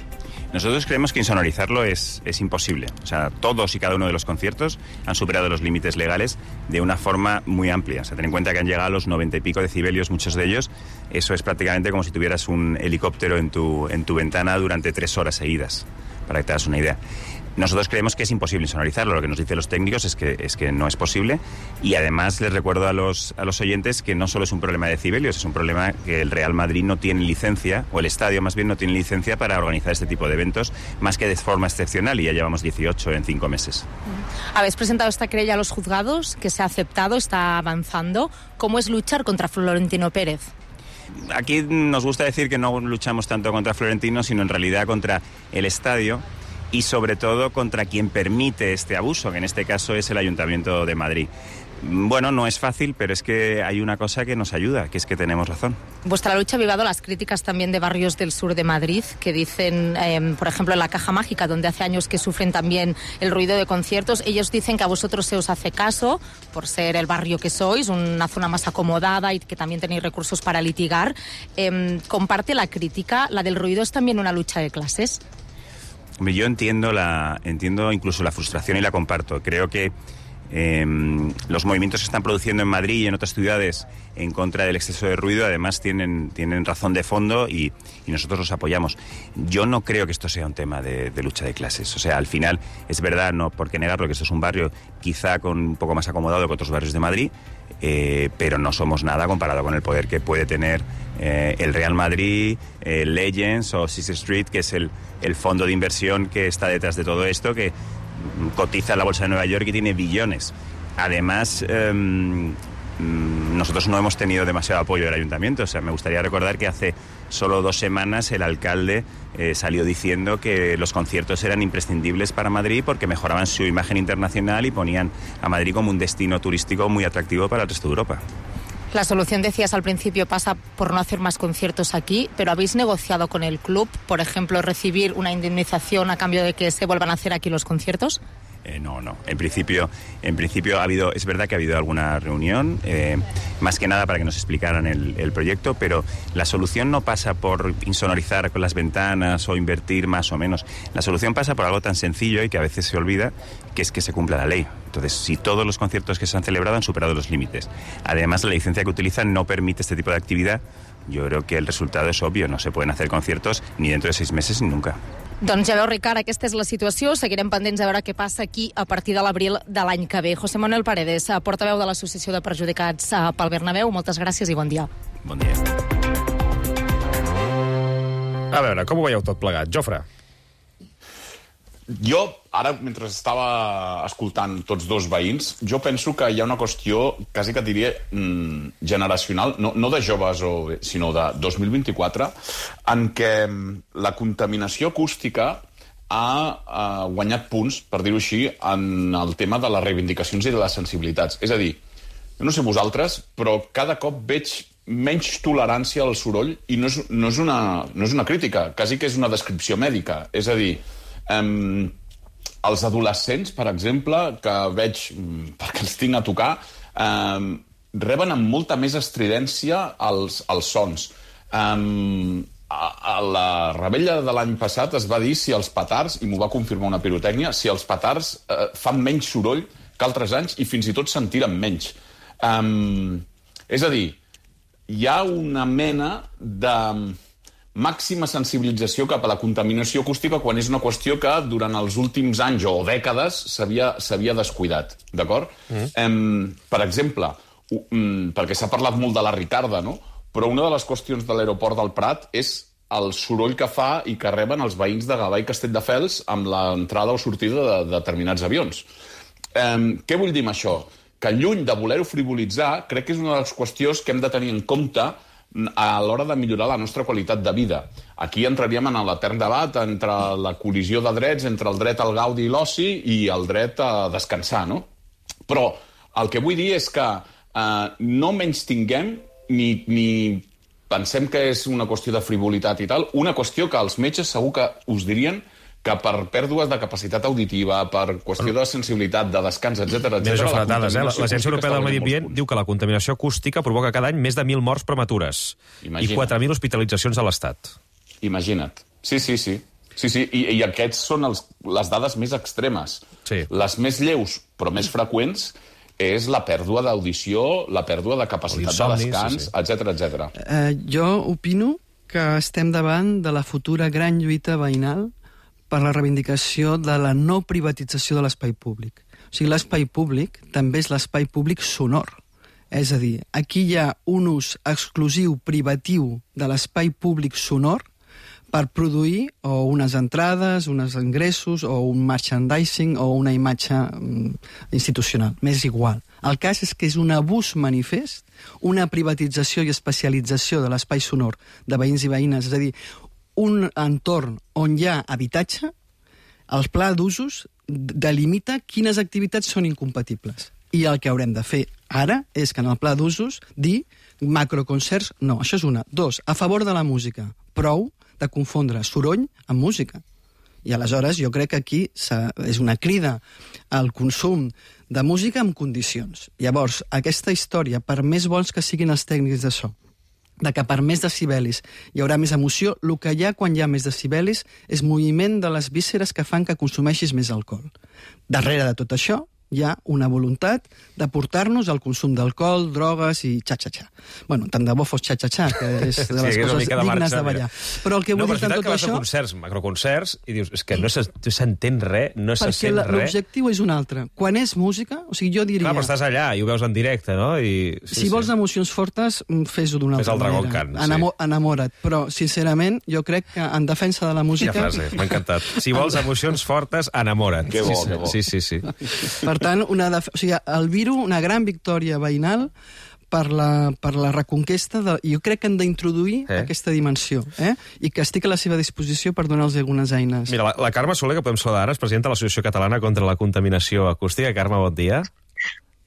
Nosotros creemos que insonorizarlo es, es imposible. O sea, todos y cada uno de los conciertos han superado los límites legales de una forma muy amplia. O sea, ten en cuenta que han llegado a los noventa y pico decibelios, muchos de ellos. Eso es prácticamente como si tuvieras un helicóptero en tu, en tu ventana durante tres horas seguidas, para que te hagas una idea. Nosotros creemos que es imposible insonorizarlo. Lo que nos dicen los técnicos es que, es que no es posible. Y además les recuerdo a los, a los oyentes que no solo es un problema de decibelios, es un problema que el Real Madrid no tiene licencia, o el estadio más bien no tiene licencia para organizar este tipo de eventos, más que de forma excepcional, y ya llevamos dieciocho en cinco meses. Habéis presentado esta querella a los juzgados, que se ha aceptado, está avanzando. ¿Cómo es luchar contra Florentino Pérez? Aquí nos gusta decir que no luchamos tanto contra Florentino, sino en realidad contra el estadio, y sobre todo contra quien permite este abuso, que en este caso es el Ayuntamiento de Madrid. Bueno, no es fácil, pero es que hay una cosa que nos ayuda, que es que tenemos razón. Vuestra lucha ha avivado las críticas también de barrios del sur de Madrid, que dicen, eh, por ejemplo, en la Caja Mágica, donde hace años que sufren también el ruido de conciertos. Ellos dicen que a vosotros se os hace caso, por ser el barrio que sois, una zona más acomodada y que también tenéis recursos para litigar. Eh, ¿Comparte la crítica? ¿La del ruido es también una lucha de clases? Yo entiendo, la, entiendo incluso la frustración y la comparto. Creo que eh, los movimientos que están produciendo en Madrid y en otras ciudades en contra del exceso de ruido además tienen, tienen razón de fondo y, y nosotros los apoyamos. Yo no creo que esto sea un tema de, de lucha de clases. O sea, al final es verdad, no por qué negarlo, que esto es un barrio quizá con un poco más acomodado que otros barrios de Madrid, eh, pero no somos nada comparado con el poder que puede tener eh, el Real Madrid, eh, Legends o Sixth Street, que es el, el fondo de inversión que está detrás de todo esto, que cotiza en la Bolsa de Nueva York y tiene billones. Además, eh, nosotros no hemos tenido demasiado apoyo del ayuntamiento. O sea, me gustaría recordar que hace solo dos semanas el alcalde eh, salió diciendo que los conciertos eran imprescindibles para Madrid porque mejoraban su imagen internacional y ponían a Madrid como un destino turístico muy atractivo para el resto de Europa. La solución, decías al principio, pasa por no hacer más conciertos aquí, pero ¿habéis negociado con el club, por ejemplo, recibir una indemnización a cambio de que se vuelvan a hacer aquí los conciertos? Eh, no, no. En principio, en principio ha habido, es verdad que ha habido alguna reunión, eh, más que nada para que nos explicaran el, el proyecto, pero la solución no pasa por insonorizar con las ventanas o invertir más o menos. La solución pasa por algo tan sencillo y que a veces se olvida, que es que se cumpla la ley. Entonces, si todos los conciertos que se han celebrado han superado los límites, además la licencia que utilizan no permite este tipo de actividad, yo creo que el resultado es obvio. No se pueden hacer conciertos ni dentro de seis meses ni nunca. Doncs ja veu, Ricard, aquesta és la situació. Seguirem pendents a veure què passa aquí a partir de l'abril de l'any que ve. José Manuel Paredes, portaveu de l'Associació de Perjudicats pel Bernabéu, moltes gràcies i bon dia. Bon dia. A veure, com ho veieu tot plegat? Jofre? Jo, ara, mentre estava escoltant tots dos veïns, jo penso que hi ha una qüestió, quasi que diria, mmm, generacional, no, no de joves, o, sinó de dos mil vint-i-quatre, en què la contaminació acústica ha, ha guanyat punts, per dir-ho així, en el tema de les reivindicacions i de les sensibilitats. És a dir, jo no sé vosaltres, però cada cop veig menys tolerància al soroll i no és, no és, una, no és una crítica, quasi que és una descripció mèdica. És a dir, eh, els adolescents, per exemple, que veig, perquè els tinc a tocar, eh, reben amb molta més estridència els, els sons. Eh, a, a la rebella de l'any passat es va dir si els petards, i m'ho va confirmar una pirotècnia, si els petards eh, fan menys soroll que altres anys i fins i tot se'n tiren menys. Um, és a dir, hi ha una mena de màxima sensibilització cap a la contaminació acústica quan és una qüestió que durant els últims anys o dècades s'havia descuidat, d'acord? Mm. Um, per exemple, um, perquè s'ha parlat molt de la Ricarda, no? Però una de les qüestions de l'aeroport del Prat és el soroll que fa i que reben els veïns de Gavà i Castelldefels amb l'entrada o sortida de, de determinats avions. Um, què vull dir amb això? Que lluny de voler-ho frivolitzar, crec que és una de les qüestions que hem de tenir en compte a l'hora de millorar la nostra qualitat de vida. Aquí entraríem en l'etern debat entre la col·lisió de drets, entre el dret al gaudi i l'oci i el dret a descansar, no? Però el que vull dir és que eh, no menys tinguem ni, ni pensem que és una qüestió de frivolitat i tal, una qüestió que els metges segur que us dirien que per pèrdues de capacitat auditiva, per qüestió de sensibilitat, de descans, etcètera, etcètera... Mira, això dades, eh? L'Agència Europea del Medi Ambient diu que la contaminació acústica provoca cada any més de mil morts prematures. Imagina't. I quatre mil hospitalitzacions a l'Estat. Imagina't. Sí, sí, sí. Sí, sí. I, i aquests són els, les dades més extremes. Sí. Les més lleus, però més freqüents, és la pèrdua d'audició, la pèrdua de capacitat de descans, sí, sí. etcètera, etcètera. Eh, jo opino que estem davant de la futura gran lluita veïnal per la reivindicació de la no privatització de l'espai públic. O sigui, l'espai públic també és l'espai públic sonor. És a dir, aquí hi ha un ús exclusiu, privatiu de l'espai públic sonor per produir o unes entrades, uns ingressos, o un merchandising, o una imatge mm, institucional. M'és igual. El cas és que és un abús manifest, una privatització i especialització de l'espai sonor de veïns i veïnes, és a dir, un entorn on hi ha habitatge, el pla d'usos delimita quines activitats són incompatibles. I el que haurem de fer ara és que en el pla d'usos dir macroconcerts, no, això és una. Dos, a favor de la música, prou de confondre soroll amb música. I aleshores jo crec que aquí és una crida al consum de música amb condicions. Llavors, aquesta història, per més bons que siguin els tècnics de so, de que per més decibelis hi haurà més emoció, el que hi ha quan hi ha més decibelis és moviment de les vísceres que fan que consumeixis més alcohol. Darrere de tot això hi ha una voluntat de portar-nos al consum d'alcohol, drogues i xa-xa-xa. Bueno, tant de bo fos xa-xa-xa, que és de les sí, coses de dignes marxa, de ballar. Mira. Però el que vull no, dir amb tot que això... No, concerts, macroconcerts, i dius, és que no s'entén res, no se sent res. Perquè l'objectiu és un altre. Quan és música, o sigui, jo diria... Clar, però estàs allà i ho veus en directe, no? I... Sí, si sí. vols emocions fortes, fes-ho d'una altra manera. Fes el Dragon Khan, Enamo sí. Enamora't. Però, sincerament, jo crec que en defensa de la música... Quina frase, m'ha encantat. Si vols emocions fortes, enamora't. Que bo, sí, que bo. Sí, sí, sí. Per tant, una def... o sigui, el Viru, una gran victòria veïnal per la, per la reconquesta de... Jo crec que han d'introduir eh? aquesta dimensió, eh? I que estic a la seva disposició per donar-los algunes eines. Mira, la, la Carme Soler, que podem saludar ara, és presidenta de l'Associació Catalana contra la Contaminació Acústica. Carme, bon dia.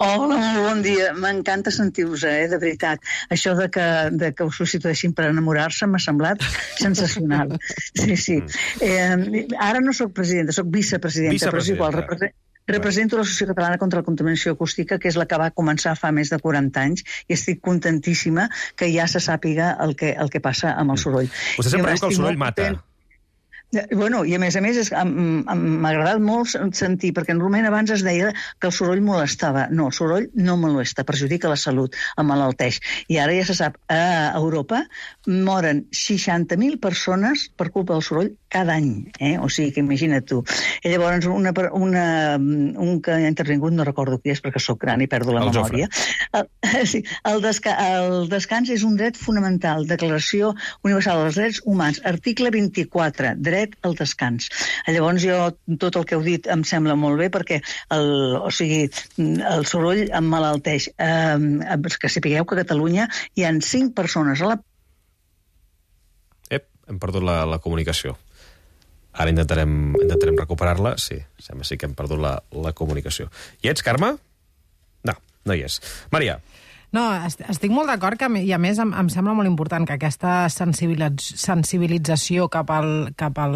Hola, molt bon dia. M'encanta sentir-vos, eh, de veritat. Això de que, de que us substitueixin per enamorar-se m'ha semblat sensacional. Sí, sí. Eh, ara no sóc presidenta, sóc vicepresidenta, però és igual, represento... Represento l'Associació Catalana contra la Contaminació Acústica, que és la que va començar fa més de quaranta anys, i estic contentíssima que ja se sàpiga el que, el que passa amb el soroll. Vostè sempre diu que el soroll mata. Bueno, i a més a més m'ha agradat molt sentir, perquè normalment abans es deia que el soroll molestava. No, el soroll no molesta, perjudica la salut, emmalalteix. I ara ja se sap, a Europa moren seixanta mil persones per culpa del soroll cada any, eh? O sigui que imagina't tu. I llavors una, una, un que ha intervingut, no recordo qui és perquè sóc gran i perdo la el memòria. El, sí, el, desca el descans és un dret fonamental, Declaració Universal dels Drets Humans, article vint-i-quatre, dret al descans. Llavors jo, tot el que heu dit em sembla molt bé perquè el, o sigui, el soroll emmalalteix. Eh, que sapigueu que a Catalunya hi ha cinc persones a la... Ep, hem perdut la, la comunicació. Ara intentarem, intentarem recuperar-la. Sí, sembla sí que hem perdut la, la comunicació. Hi ets, Carme? No, no hi és. Maria. No, estic molt d'acord que, i a més em, em sembla molt important que aquesta sensibilització cap al, cap al,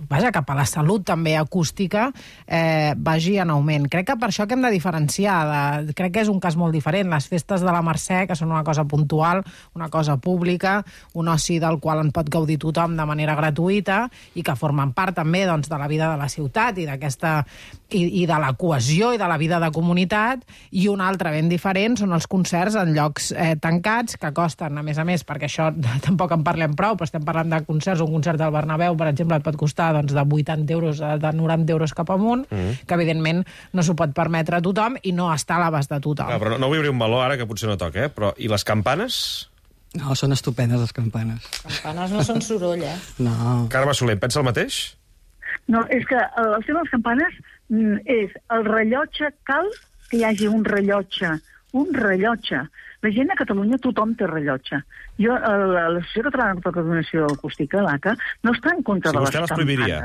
vaja, cap a la salut també acústica eh, vagi en augment. Crec que per això que hem de diferenciar, de, crec que és un cas molt diferent, les festes de la Mercè, que són una cosa puntual, una cosa pública, un oci del qual en pot gaudir tothom de manera gratuïta i que formen part també doncs, de la vida de la ciutat i d'aquesta i, i de la cohesió i de la vida de comunitat, i un altre ben diferent són els concerts en llocs eh, tancats, que costen, a més a més, perquè això tampoc en parlem prou, però estem parlant de concerts, un concert del Bernabéu, per exemple, et pot costar doncs, de vuitanta euros, de noranta euros cap amunt, mm. que evidentment no s'ho pot permetre a tothom i no està a l'abast de tothom. Clar, però no, no vull obrir un meló ara, que potser no toca, eh? Però i les campanes? No, són estupendes, les campanes. Campanes no són soroll, eh? No. Carme Soler, pensa el mateix? No, és que el tema de les campanes és el rellotge, cal que hi hagi un rellotge, un rellotge. La gent a Catalunya, tothom té rellotge. Jo, l'Associació Catalana de Coordinació Acústica, l'A C A, no està en contra si de les campanes. Prohibiria.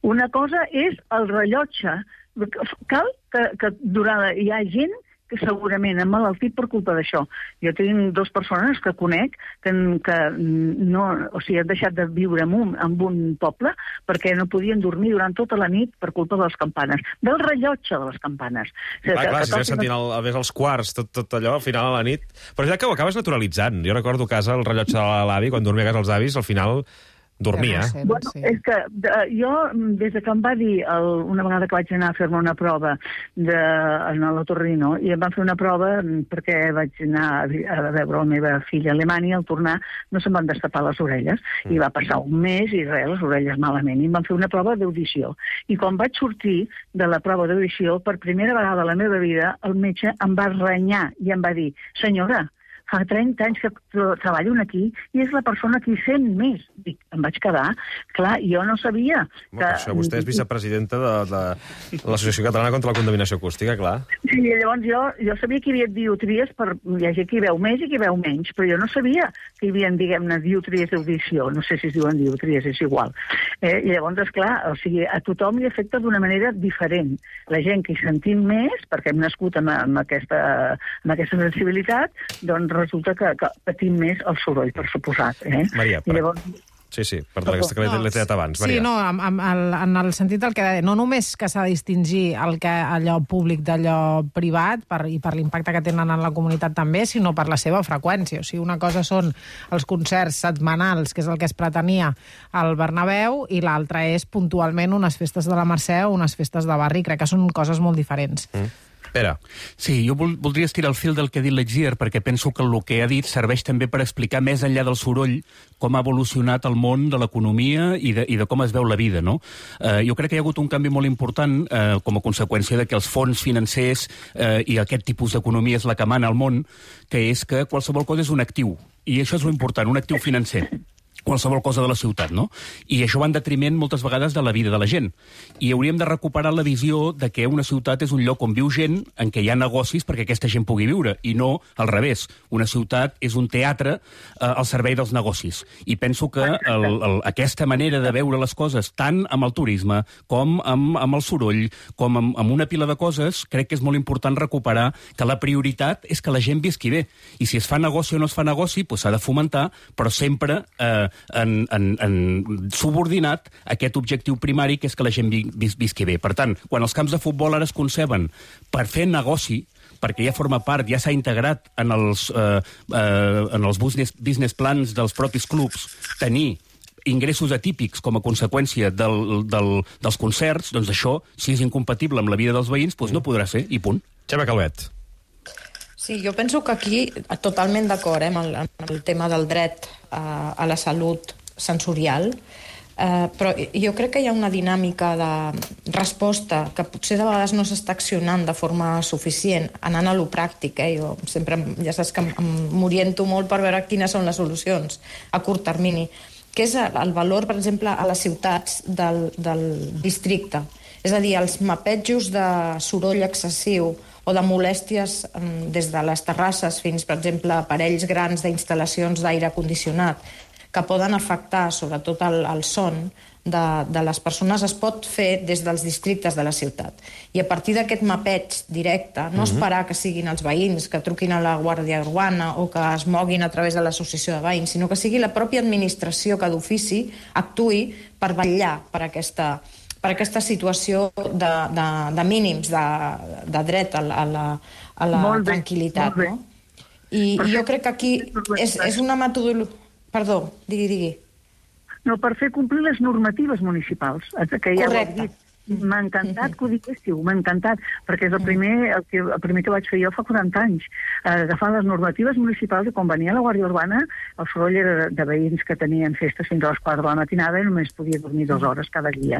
Una cosa és el rellotge. Cal que, que durant... Hi ha gent que segurament ha malaltit per culpa d'això. Jo tinc dues persones que conec que, que no, o sigui, han deixat de viure en un, en un poble perquè no podien dormir durant tota la nit per culpa de les campanes, del rellotge de les campanes. O sigui, ah, que, clar, que si estàs sentint el, a més els quarts, tot, tot allò, al final a la nit... Però ja que ho acabes naturalitzant. Jo recordo a casa el rellotge de l'avi, quan dormia a casa els avis, al final... dormia. Ja no sé, no bueno, sé. És que de, jo, des de que em va dir el, una vegada que vaig anar a fer-me una prova de, en l'Otorrino, i em van fer una prova perquè vaig anar a, a veure la meva filla a Alemanya, i al tornar no se'm van destapar les orelles, mm. i va passar un mes i res, les orelles malament, i em van fer una prova d'audició. I quan vaig sortir de la prova d'audició, per primera vegada a la meva vida, el metge em va renyar i em va dir: senyora, fa trenta anys que treballo aquí i és la persona que hi sent més. Dic, em vaig quedar. Clar, jo no sabia que... Per això vostè és vicepresidenta de, de, de l'Associació Catalana contra la Contaminació Acústica, clar. Sí, llavors jo, jo sabia que hi havia diotries, per... hi ha gent que hi veu més i que hi veu menys, però jo no sabia que hi havia, diguem-ne, diotries d'audició. No sé si es diuen diotries, és igual. Eh, I llavors, esclar, o sigui, a tothom li afecta d'una manera diferent. La gent que hi sentim més, perquè hem nascut amb, amb, aquesta, amb aquesta sensibilitat, doncs resulta que, que patim més el soroll, per suposat. Eh? Maria, per... llavors... Sí, sí, perdó, aquesta que l'he tret abans. Maria. Sí, no, en, en, en el sentit del que deia, no només que s'ha de distingir el que, allò públic d'allò privat per, i per l'impacte que tenen en la comunitat també, sinó per la seva freqüència. O sigui, una cosa són els concerts setmanals, que és el que es pretenia al Bernabéu, i l'altra és puntualment unes festes de la Mercè o unes festes de barri. Crec que són coses molt diferents. Mm. Pere. Sí, jo vol, voldria estirar el fil del que ha dit l'Exier, perquè penso que el que ha dit serveix també per explicar més enllà del soroll com ha evolucionat el món de l'economia i, de, i de com es veu la vida, no? Eh, jo crec que hi ha hagut un canvi molt important eh, com a conseqüència de que els fons financers eh, i aquest tipus d'economia és la que mana al món, que és que qualsevol cosa és un actiu, i això és l'important, un actiu financer. Qualsevol cosa de la ciutat, no? I això va en detriment moltes vegades de la vida de la gent. I hauríem de recuperar la visió de que una ciutat és un lloc on viu gent, en què hi ha negocis perquè aquesta gent pugui viure, i no al revés. Una ciutat és un teatre eh, al servei dels negocis. I penso que el, el, aquesta manera de veure les coses, tant amb el turisme, com amb, amb el soroll, com amb, amb una pila de coses, crec que és molt important recuperar que la prioritat és que la gent visqui bé. I si es fa negoci o no es fa negoci, doncs s'ha de fomentar, però sempre... Eh, En, en, en subordinat a aquest objectiu primari, que és que la gent vi, vis, visqui bé. Per tant, quan els camps de futbol ara es conceben per fer negoci, perquè ja forma part, ja s'ha integrat en els, eh, eh, en els business, business plans dels propis clubs, tenir ingressos atípics com a conseqüència del, del, dels concerts, doncs això, si és incompatible amb la vida dels veïns, doncs no podrà ser, i punt. Xema Calvet. Sí, jo penso que aquí, totalment d'acord eh, amb, el, amb el tema del dret a, a la salut sensorial, eh, però jo crec que hi ha una dinàmica de resposta que potser de vegades no s'està accionant de forma suficient, anant a lo pràctic. Eh? Jo sempre, ja saps que m'oriento molt per veure quines són les solucions a curt termini, que és el valor, per exemple, a les ciutats del, del districte. És a dir, els mapetjos de soroll excessiu o de molèsties des de les terrasses fins, per exemple, aparells grans d'instal·lacions d'aire condicionat, que poden afectar sobretot el, el son de, de les persones es pot fer des dels districtes de la ciutat. I a partir d'aquest mapeig directe, no esperar que siguin els veïns que truquin a la Guàrdia Urbana o que es moguin a través de l'associació de veïns, sinó que sigui la pròpia administració que d'ofici actuï per vetllar per aquesta, per aquesta situació de, de, de mínims de, de dret a la, a la, a la tranquil·litat. No? I, I jo crec que aquí és, és una metodologia... Perdó, digui, digui. No, per fer complir les normatives municipals, que ja ho he dit. M'ha encantat que ho diguéssiu, m'ha encantat, perquè és el primer, el, que, el primer que vaig fer jo fa quaranta anys, eh, agafant les normatives municipals, i quan venia la Guàrdia Urbana, el soroll era de, de veïns que tenien festes fins a les quatre de la matinada i només podia dormir dues hores cada dia.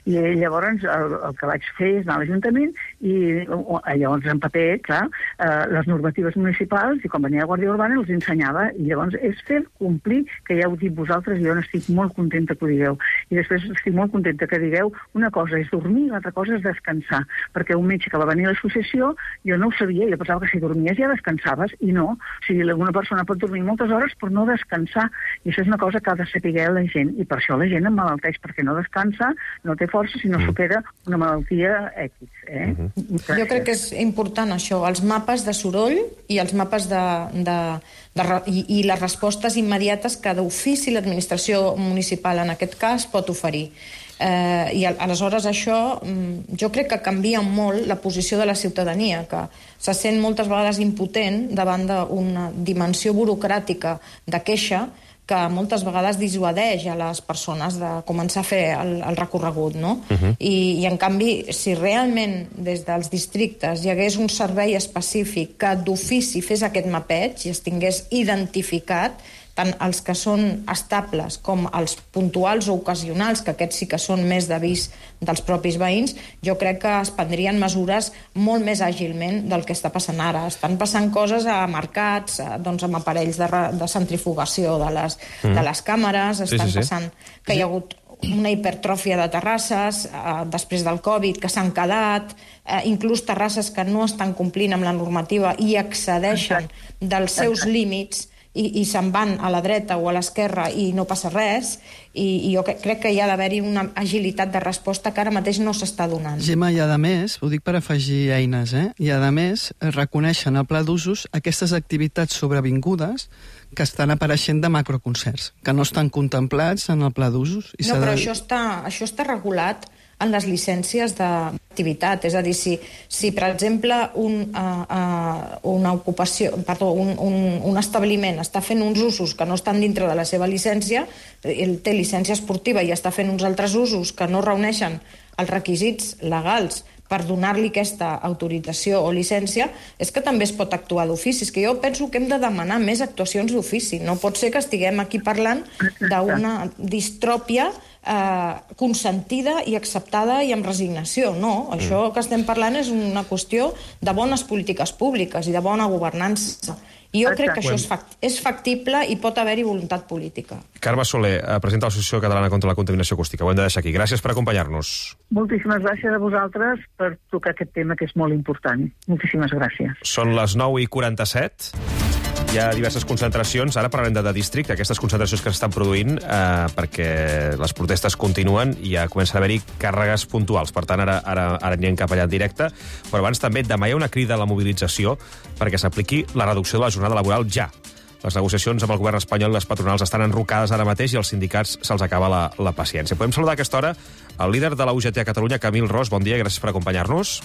I llavors el, el que vaig fer és anar a l'Ajuntament i llavors en paper, clar, eh, les normatives municipals, i quan venia la Guàrdia Urbana els ensenyava, i llavors és fer complir, que ja heu dit vosaltres, i jo n'estic molt contenta que ho digueu. I després estic molt contenta que digueu una cosa és dormir, l'altra cosa és descansar, perquè un metge que va venir a l'associació, jo no ho sabia, jo pensava que si dormies ja descansaves, i no. O sigui, alguna persona pot dormir moltes hores per no descansar, i això és una cosa que ha de saber la gent, i per això la gent emmalalteix, perquè no descansa, no té força, si no supera una malaltia X. Eh? Uh-huh. Jo crec que és important això, els mapes de soroll i els mapes de... de... De, i, i les respostes immediates que d'ofici l'administració municipal en aquest cas pot oferir. Eh, I aleshores això jo crec que canvia molt la posició de la ciutadania, que se sent moltes vegades impotent davant d'una dimensió burocràtica de queixa que moltes vegades dissuadeix a les persones de començar a fer el, el recorregut, no? Uh-huh. I, I, en canvi, si realment des dels districtes hi hagués un servei específic que d'ofici fes aquest mapeig i es tingués identificat tant els que són estables com els puntuals o ocasionals, que aquests sí que són més d'avís dels propis veïns, jo crec que es prendrien mesures molt més àgilment del que està passant ara. Estan passant coses a mercats, doncs amb aparells de, de centrifugació de les, mm. de les càmeres, estan sí, sí, sí. passant que hi ha hagut una hipertròfia de terrasses eh, després del Covid que s'han quedat, eh, inclús terrasses que no estan complint amb la normativa i excedeixen dels seus límits i, i se'n van a la dreta o a l'esquerra i no passa res, i, i jo crec que hi ha d'haver-hi una agilitat de resposta que ara mateix no s'està donant. Gemma, i a més, ho dic per afegir eines, eh? i a més reconeixen al pla d'usos aquestes activitats sobrevingudes que estan apareixent de macroconcerts, que no estan contemplats en el pla d'usos. No, però de... això, està, això està regulat en les llicències d'activitat. És a dir, si, si per exemple, un, uh, uh, una ocupació, perdó, un, un, un establiment està fent uns usos que no estan dintre de la seva llicència, ell té llicència esportiva i està fent uns altres usos que no reuneixen els requisits legals per donar-li aquesta autorització o llicència, és que també es pot actuar d'ofici. És que jo penso que hem de demanar més actuacions d'ofici. No pot ser que estiguem aquí parlant d'una distròpia eh, consentida i acceptada i amb resignació. No, això que estem parlant és una qüestió de bones polítiques públiques i de bona governança. I jo crec que això és, fact és factible i pot haver-hi voluntat política. Carme Soler, presidenta de l'Associació Catalana contra la Contaminació Acústica. Ho hem de deixar aquí. Gràcies per acompanyar-nos. Moltíssimes gràcies a vosaltres per tocar aquest tema que és molt important. Moltíssimes gràcies. Són les nou i quaranta-set. Hi ha diverses concentracions. Ara parlarem de, de districte, aquestes concentracions que s'estan produint eh, perquè les protestes continuen i ja comencen a haver-hi càrregues puntuals. Per tant, ara, ara, ara anirem cap allà en directe. Però abans també demà hi ha una crida a la mobilització perquè s'apliqui la reducció de la jornada laboral ja. Les negociacions amb el govern espanyol i les patronals estan enrocades ara mateix i als sindicats se'ls acaba la, la paciència. Podem saludar a aquesta hora el líder de la U G T a Catalunya, Camil Ros. Bon dia i gràcies per acompanyar-nos.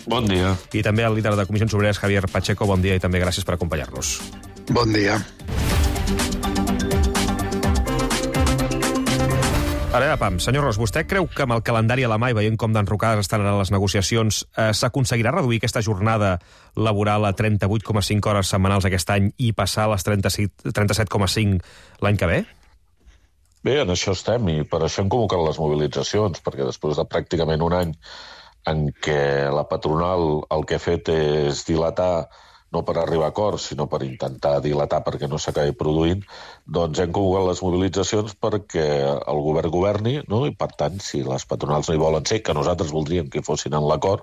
Bon dia. I també el líder de Comissions Obreres, Javier Pacheco. Bon dia i també gràcies per acompanyar-nos. Bon dia. Ara, pam, senyor Ros, vostè creu que amb el calendari a la mà i veient com d'enrocades estan a les negociacions eh, s'aconseguirà reduir aquesta jornada laboral a trenta-vuit coma cinc hores setmanals aquest any i passar a les trenta-set coma cinc l'any que ve? Bé, en això estem i per això hem convocat les mobilitzacions, perquè després de pràcticament un any en què la patronal el que ha fet és dilatar no per arribar a acords, sinó per intentar dilatar perquè no s'acabi produint, doncs hem convocat les mobilitzacions perquè el govern governi, no? I per tant, si les patronals no hi volen ser, que nosaltres voldríem que fossin en l'acord,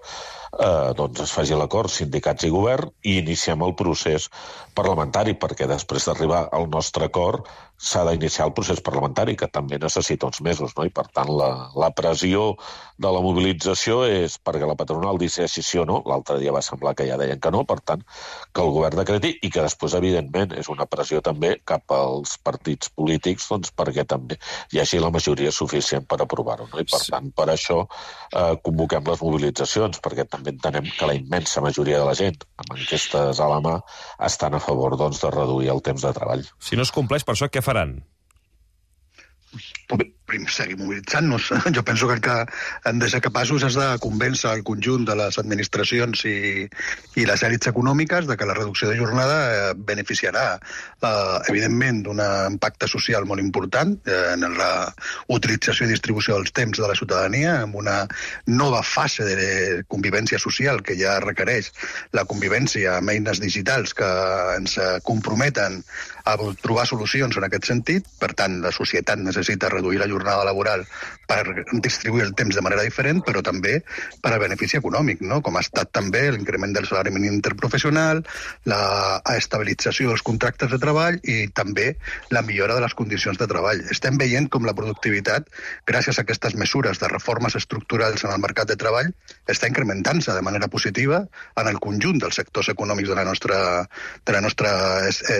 eh, doncs es faci l'acord, sindicats i govern, i iniciem el procés parlamentari, perquè després d'arribar al nostre acord s'ha d'iniciar el procés parlamentari, que també necessita uns mesos, no? I per tant la, la pressió de la mobilització és perquè la patronal decideixi sí o no. L'altre dia va semblar que ja deien que no, per tant, que el govern decreti, i que després, evidentment, és una pressió també cap als partits polítics, doncs perquè també hi hagi la majoria suficient per aprovar-ho, no? I per tant, per això eh, convoquem les mobilitzacions, perquè també entenem que la immensa majoria de la gent, amb enquestes a la mà, estan a favor, doncs, de reduir el temps de treball. Si no es compleix per això, què faran? Primer, seguir mobilitzant-nos. Jo penso que el que hem de ser capaços és de convèncer el conjunt de les administracions i, i les èlits econòmiques de que la reducció de jornada eh, beneficiarà, eh, evidentment, d'un impacte social molt important eh, en la utilització i distribució dels temps de la ciutadania, amb una nova fase de convivència social que ja requereix la convivència amb eines digitals que ens comprometen a trobar solucions en aquest sentit. Per tant, la societat necessita reduir la jornada laboral per distribuir el temps de manera diferent, però també per a benefici econòmic, no? Com ha estat també l'increment del salari mínim interprofessional, la estabilització dels contractes de treball i també la millora de les condicions de treball. Estem veient com la productivitat, gràcies a aquestes mesures de reformes estructurals en el mercat de treball, està incrementant-se de manera positiva en el conjunt dels sectors econòmics de la nostra, de la nostra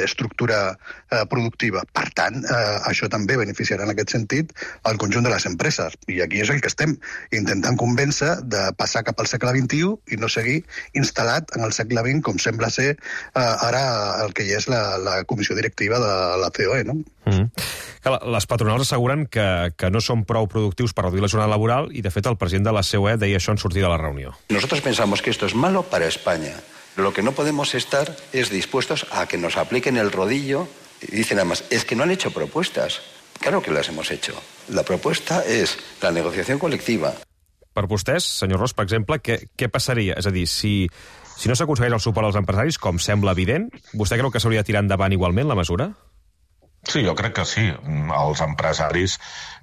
estructura eh, productiva. Per tant, eh, això també beneficiarà en aquest sentit al conjunt de les empreses. I aquí és el que estem intentant convèncer de passar cap al segle vint-i-u i no seguir instal·lat en el segle vint, com sembla ser eh, ara el que ja és la, la comissió directiva de la C O E, no? Mm-hmm. Les patronals asseguren que, que no són prou productius per reduir la jornada laboral i, de fet, el president de la C O E deia això en sortir de la reunió. Nosotros pensamos que esto es malo para España. Lo que no podemos estar es dispuestos a que nos apliquen el rodillo. Y dicen además, es que no han hecho propuestas. Claro que las hemos hecho. La propuesta és la negociació col·lectiva. Per vostès, senyor Ros, per exemple, què, què passaria? És a dir, si, si no s'aconsegueix el suport als empresaris, com sembla evident, vostè creu que s'hauria de tirar endavant igualment la mesura? Sí, jo crec que sí. Els empresaris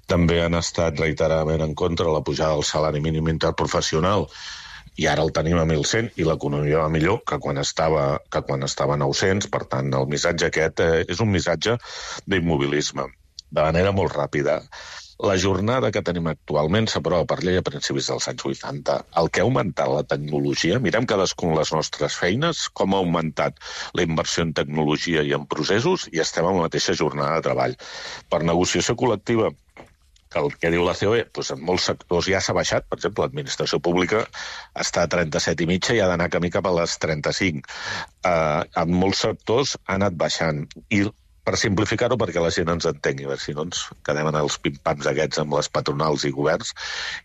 també han estat reiteradament en contra de la pujada del salari mínim interprofessional, i ara el tenim a mil cent i l'economia va millor que quan estava, que quan estava a nou-cents. Per tant, el missatge aquest eh, és un missatge d'immobilisme. De manera molt ràpida. La jornada que tenim actualment s'aprova per llei a principis dels anys vuitanta. El que ha augmentat la tecnologia, mirem cadascun les nostres feines, com ha augmentat la inversió en tecnologia i en processos, i estem en la mateixa jornada de treball. Per negociació col·lectiva, que el que diu la C O E, doncs en molts sectors ja s'ha baixat. Per exemple, l'administració pública està a trenta-set i mitja i ha d'anar camí cap a les trenta-cinc. Uh, en molts sectors ha anat baixant. I per simplificar-ho, perquè la gent ens entengui, si no ens quedem en els pim-pams aquests amb les patronals i governs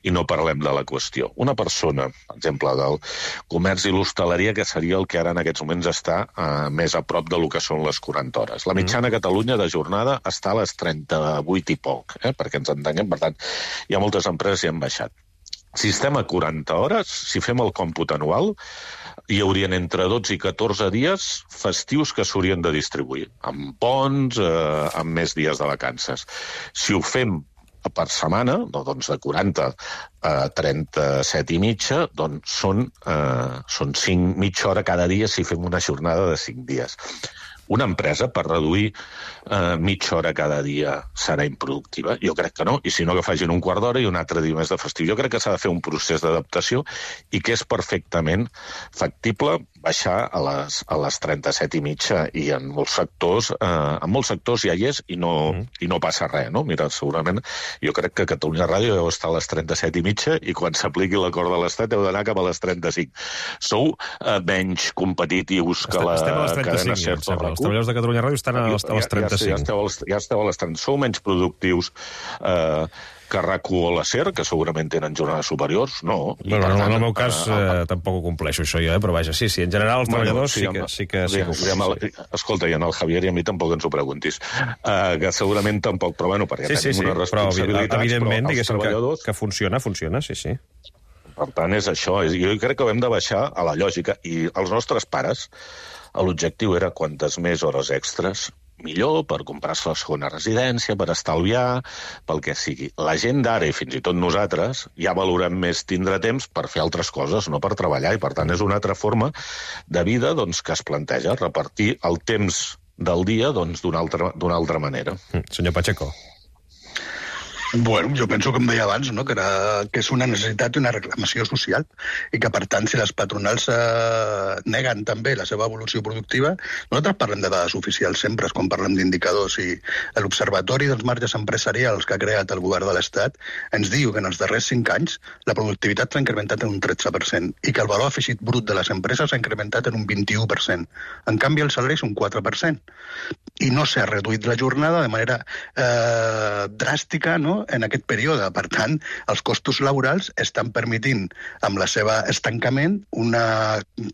i no parlem de la qüestió. Una persona, per exemple, del comerç i l'hostaleria, que seria el que ara en aquests moments està eh, més a prop de lo que són les quaranta hores. La mitjana a Catalunya de jornada està a les trenta-vuit i poc, eh, perquè ens entenguem. Per tant, hi ha moltes empreses que hi han baixat. Si estem a quaranta hores, si fem el còmput anual, hi haurien entre dotze i catorze dies festius que s'haurien de distribuir, amb ponts, eh, amb més dies de vacances. Si ho fem per setmana, no, doncs de quaranta a trenta-set i mitja, doncs són, eh, són cinc, mitja hora cada dia si fem una jornada de cinc dies. Una empresa, per reduir eh, mitja hora cada dia, serà improductiva? Jo crec que no, i si no, que facin un quart d'hora i un altre dia més de festiu. Jo crec que s'ha de fer un procés d'adaptació i que és perfectament factible baixar a les, a les trenta-set i mitja, i en molts sectors, eh, en molts sectors ja hi és i no, mm. i no passa res, no? Mira, segurament, jo crec que Catalunya Ràdio deu estar a les trenta-set i mitja i quan s'apliqui l'acord de l'Estat deu d'anar cap a les trenta-cinc. Sou eh, menys competitius que la cadena SER. Els treballadors de Catalunya Ràdio estan a les, a les trenta-cinc. Ja, ja, esteu, ja esteu a les trenta. Sou menys productius eh, que RAC u o la SER, que segurament tenen jornades superiors? No. Bueno, tant, en el meu cas eh, eh, tampoc ho compleixo això jo, eh, però vaja, sí, sí, en general els treballadors sí, sí que sí que, sí que ho compleixo. Escolta, i en el Javier i a mi tampoc ens ho preguntis, uh, que segurament tampoc, però bueno, perquè sí, sí, tenim sí, unes responsabilitats, però evidentment, però els treballadors... Que, que funciona, funciona, sí, sí. Per tant, és això. Jo crec que hem de baixar a la lògica, i els nostres pares, l'objectiu era quantes més hores extres millor, per comprar-se la segona residència, per estalviar, pel que sigui. La gent d'ara, i fins i tot nosaltres, ja valorem més tindre temps per fer altres coses, no per treballar, i per tant és una altra forma de vida doncs, que es planteja, repartir el temps del dia doncs, d'una altra, d'una altra manera. Mm, senyor Pacheco. Bueno, jo penso, com deia abans, no? que, era, que és una necessitat i una reclamació social i que, per tant, si les patronals eh, neguen també la seva evolució productiva, nosaltres parlem de dades oficials sempre, quan parlem d'indicadors, i l'Observatori dels Marges Empresarials que ha creat el govern de l'Estat ens diu que en els darrers cinc anys la productivitat s'ha incrementat en un tretze per cent i que el valor afegit brut de les empreses s'ha incrementat en un vint-i-u per cent. En canvi, el salari és un quatre per cent. I no s'ha reduït la jornada de manera eh, dràstica, no?, en aquest període. Per tant, els costos laborals estan permetint, amb la seva estancament, un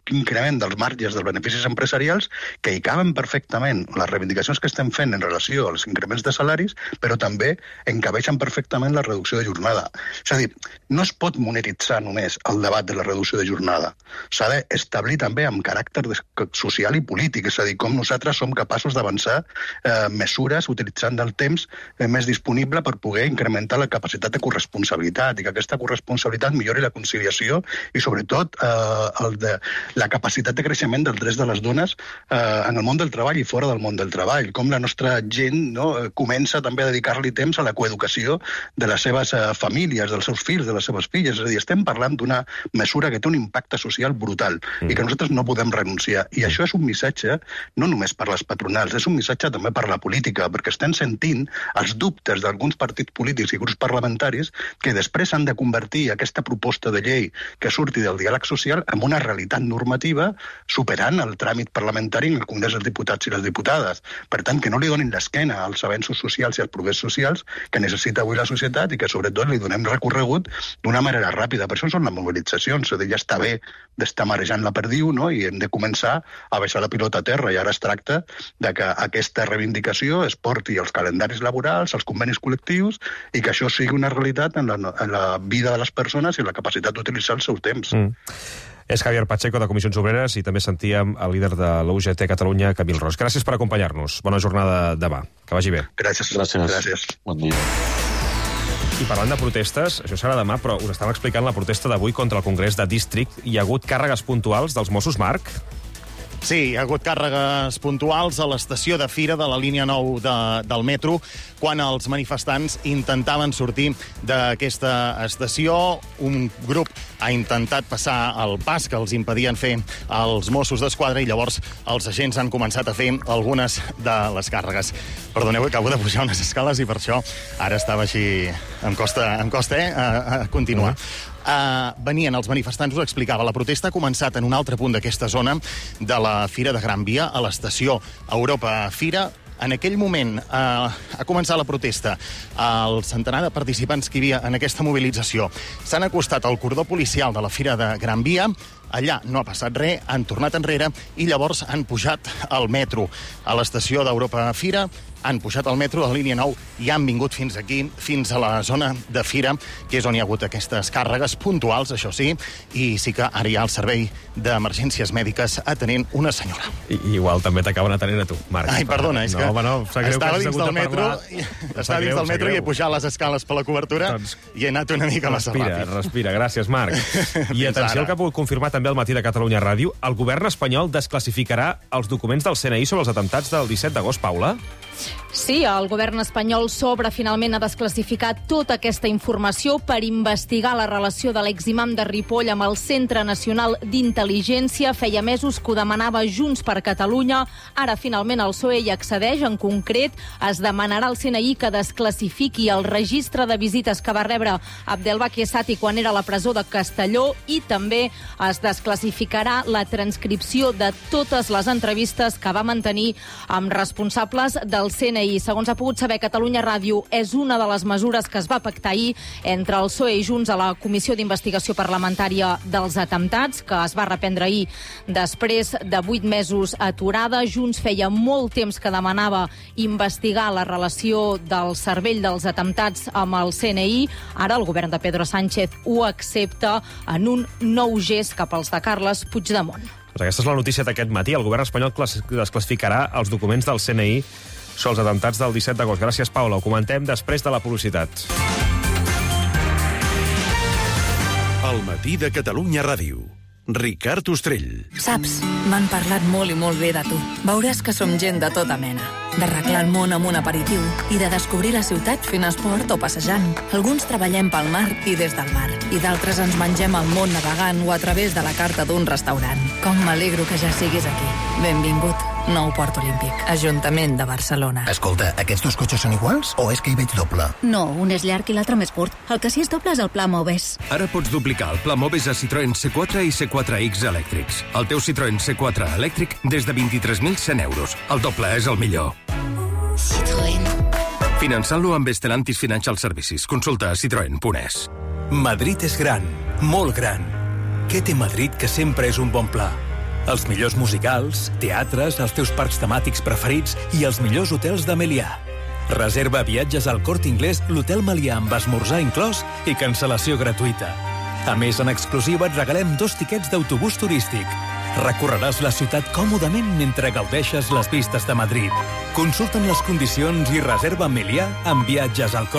increment dels marges dels beneficis empresarials que hi caben perfectament les reivindicacions que estem fent en relació als increments de salaris, però també encabeixen perfectament la reducció de jornada. És a dir, no es pot monetitzar només el debat de la reducció de jornada. S'ha d'establir també amb caràcter social i polític, és a dir, com nosaltres som capaços d'avançar eh, mesures utilitzant el temps eh, més disponible per poder incrementar la capacitat de corresponsabilitat i que aquesta corresponsabilitat millori la conciliació i, sobretot, eh, el de, la capacitat de creixement dels drets de les dones eh, en el món del treball i fora del món del treball. Com la nostra gent, no, comença també a dedicar-li temps a la coeducació de les seves eh, famílies, dels seus fills, de les seves filles. És a dir, estem parlant d'una mesura que té un impacte social brutal mm. i que nosaltres no podem renunciar. I això és un missatge no només per les patronals, és un missatge també per la política, perquè estem sentint els dubtes d'alguns partits polítics i grups parlamentaris que després han de convertir aquesta proposta de llei que surti del diàleg social en una realitat normativa superant el tràmit parlamentari en el Congrés dels Diputats i les Diputades. Per tant, que no li donin l'esquena als avenços socials i als progrés socials que necessita avui la societat i que, sobretot, li donem recorregut d'una manera ràpida. Per això són les mobilitzacions. És a dir, ja està bé d'estar marejant la perdiu, no? I hem de començar a baixar la pilota a terra. I ara es tracta de que aquesta reivindicació es porti als calendaris laborals, als convenis col·lectius, i que això sigui una realitat en la, en la vida de les persones i la capacitat d'utilitzar el seu temps. Mm. És Javier Pacheco, de Comissions Obreres, i també sentíem el líder de l'U G T Catalunya, Camil Ros. Gràcies per acompanyar-nos. Bona jornada demà. Que vagi bé. Gràcies. Gràcies. Gràcies. Bon dia. I parlant de protestes, això serà demà, però us estava explicant la protesta d'avui contra el Congrés de District. Hi ha hagut càrregues puntuals dels Mossos, Marc? Sí, hi ha hagut càrregues puntuals a l'estació de Fira de la línia nou de, del metro quan els manifestants intentaven sortir d'aquesta estació. Un grup ha intentat passar el pas que els impedien fer els Mossos d'Esquadra i llavors els agents han començat a fer algunes de les càrregues. Perdoneu, acabo de pujar unes escales i per això ara estava així... Em costa, em costa eh, a, a continuar. Uh-huh. Uh, venien els manifestants, us explicava, la protesta ha començat en un altre punt d'aquesta zona de la Fira de Gran Via, a l'estació Europa Fira. En aquell moment eh, ha començat la protesta. El centenar de participants que hi havia en aquesta mobilització s'han acostat al cordó policial de la Fira de Gran Via. Allà no ha passat res, han tornat enrere i llavors han pujat al metro a l'estació d'Europa Fira. Han pujat al metro de la línia nou i han vingut fins aquí, fins a la zona de Fira, que és on hi ha hagut aquestes càrregues puntuals, això sí, i sí que ara hi ha el servei d'emergències mèdiques atenent una senyora. I, igual també t'acaben atenent a tu, Marc. Ai, perdona, és no, que home, no, estava dins del metro, estava dins del metro i he greu. pujat les escales per la cobertura doncs, i he anat una mica massa respira, ràpid. Respira, gràcies, Marc. I atenció al que ha pogut confirmar també al matí de Catalunya Ràdio, el govern espanyol desclassificarà els documents del C N I sobre els atemptats del disset d'agost, Paula? Sí, el govern espanyol s'obre finalment a desclassificar tota aquesta informació per investigar la relació de l'eximam de Ripoll amb el Centre Nacional d'Intel·ligència. Feia mesos que ho demanava Junts per Catalunya. Ara, finalment, el P S O E hi accedeix. En concret, es demanarà al C N I que desclassifiqui el registre de visites que va rebre Abdelbaki Essati quan era a la presó de Castelló i també es desclassificarà la transcripció de totes les entrevistes que va mantenir amb responsables del C N I. Segons ha pogut saber Catalunya Ràdio, és una de les mesures que es va pactar ahir entre el P S O E i Junts a la Comissió d'Investigació Parlamentària dels Atemptats, que es va reprendre ahir després de vuit mesos aturada. Junts feia molt temps que demanava investigar la relació del cervell dels atemptats amb el C N I. Ara el govern de Pedro Sánchez ho accepta en un nou gest cap als de Carles Puigdemont. Doncs aquesta és la notícia d'aquest matí. El govern espanyol desclassificarà els documents del C N I sobre els atemptats del disset d'agost. Gràcies, Paula. Ho comentem després de la publicitat. El matí de Catalunya Ràdio. Ricard Ostrell. Saps, m'han parlat molt i molt bé de tu. Veuràs que som gent de tota mena. D'arreglar el món amb un aperitiu i de descobrir la ciutat fent esport o passejant. Alguns treballem pel mar i des del mar. I d'altres ens mengem el món navegant o a través de la carta d'un restaurant. Com m'alegro que ja siguis aquí. Benvingut. Nou Port Olímpic. Ajuntament de Barcelona. Escolta, aquests dos cotxes són iguals o és que hi veig doble? No, un és llarg i l'altre més curt. El que sí és doble és el pla Moves. Ara pots duplicar el pla Moves a Citroën C quatre i C quatre X elèctrics. El teu Citroën C quatre elèctric des de vint-i-tres mil cent euros. El doble és el millor. Citroën. Finançant-lo amb Stellantis Financial Services. Consulta a citroen punt es. Madrid és gran, molt gran. Què té Madrid que sempre és un bon pla? Els millors musicals, teatres, els teus parcs temàtics preferits i els millors hotels de Melià. Reserva viatges al Corte Inglés, l'Hotel Melià amb esmorzar inclòs i cancel·lació gratuïta. A més, en exclusiva et regalem dos tiquets d'autobús turístic. Recorreràs la ciutat còmodament mentre gaudeixes les vistes de Madrid. Consulta'n les condicions i reserva Melià amb viatges al Corte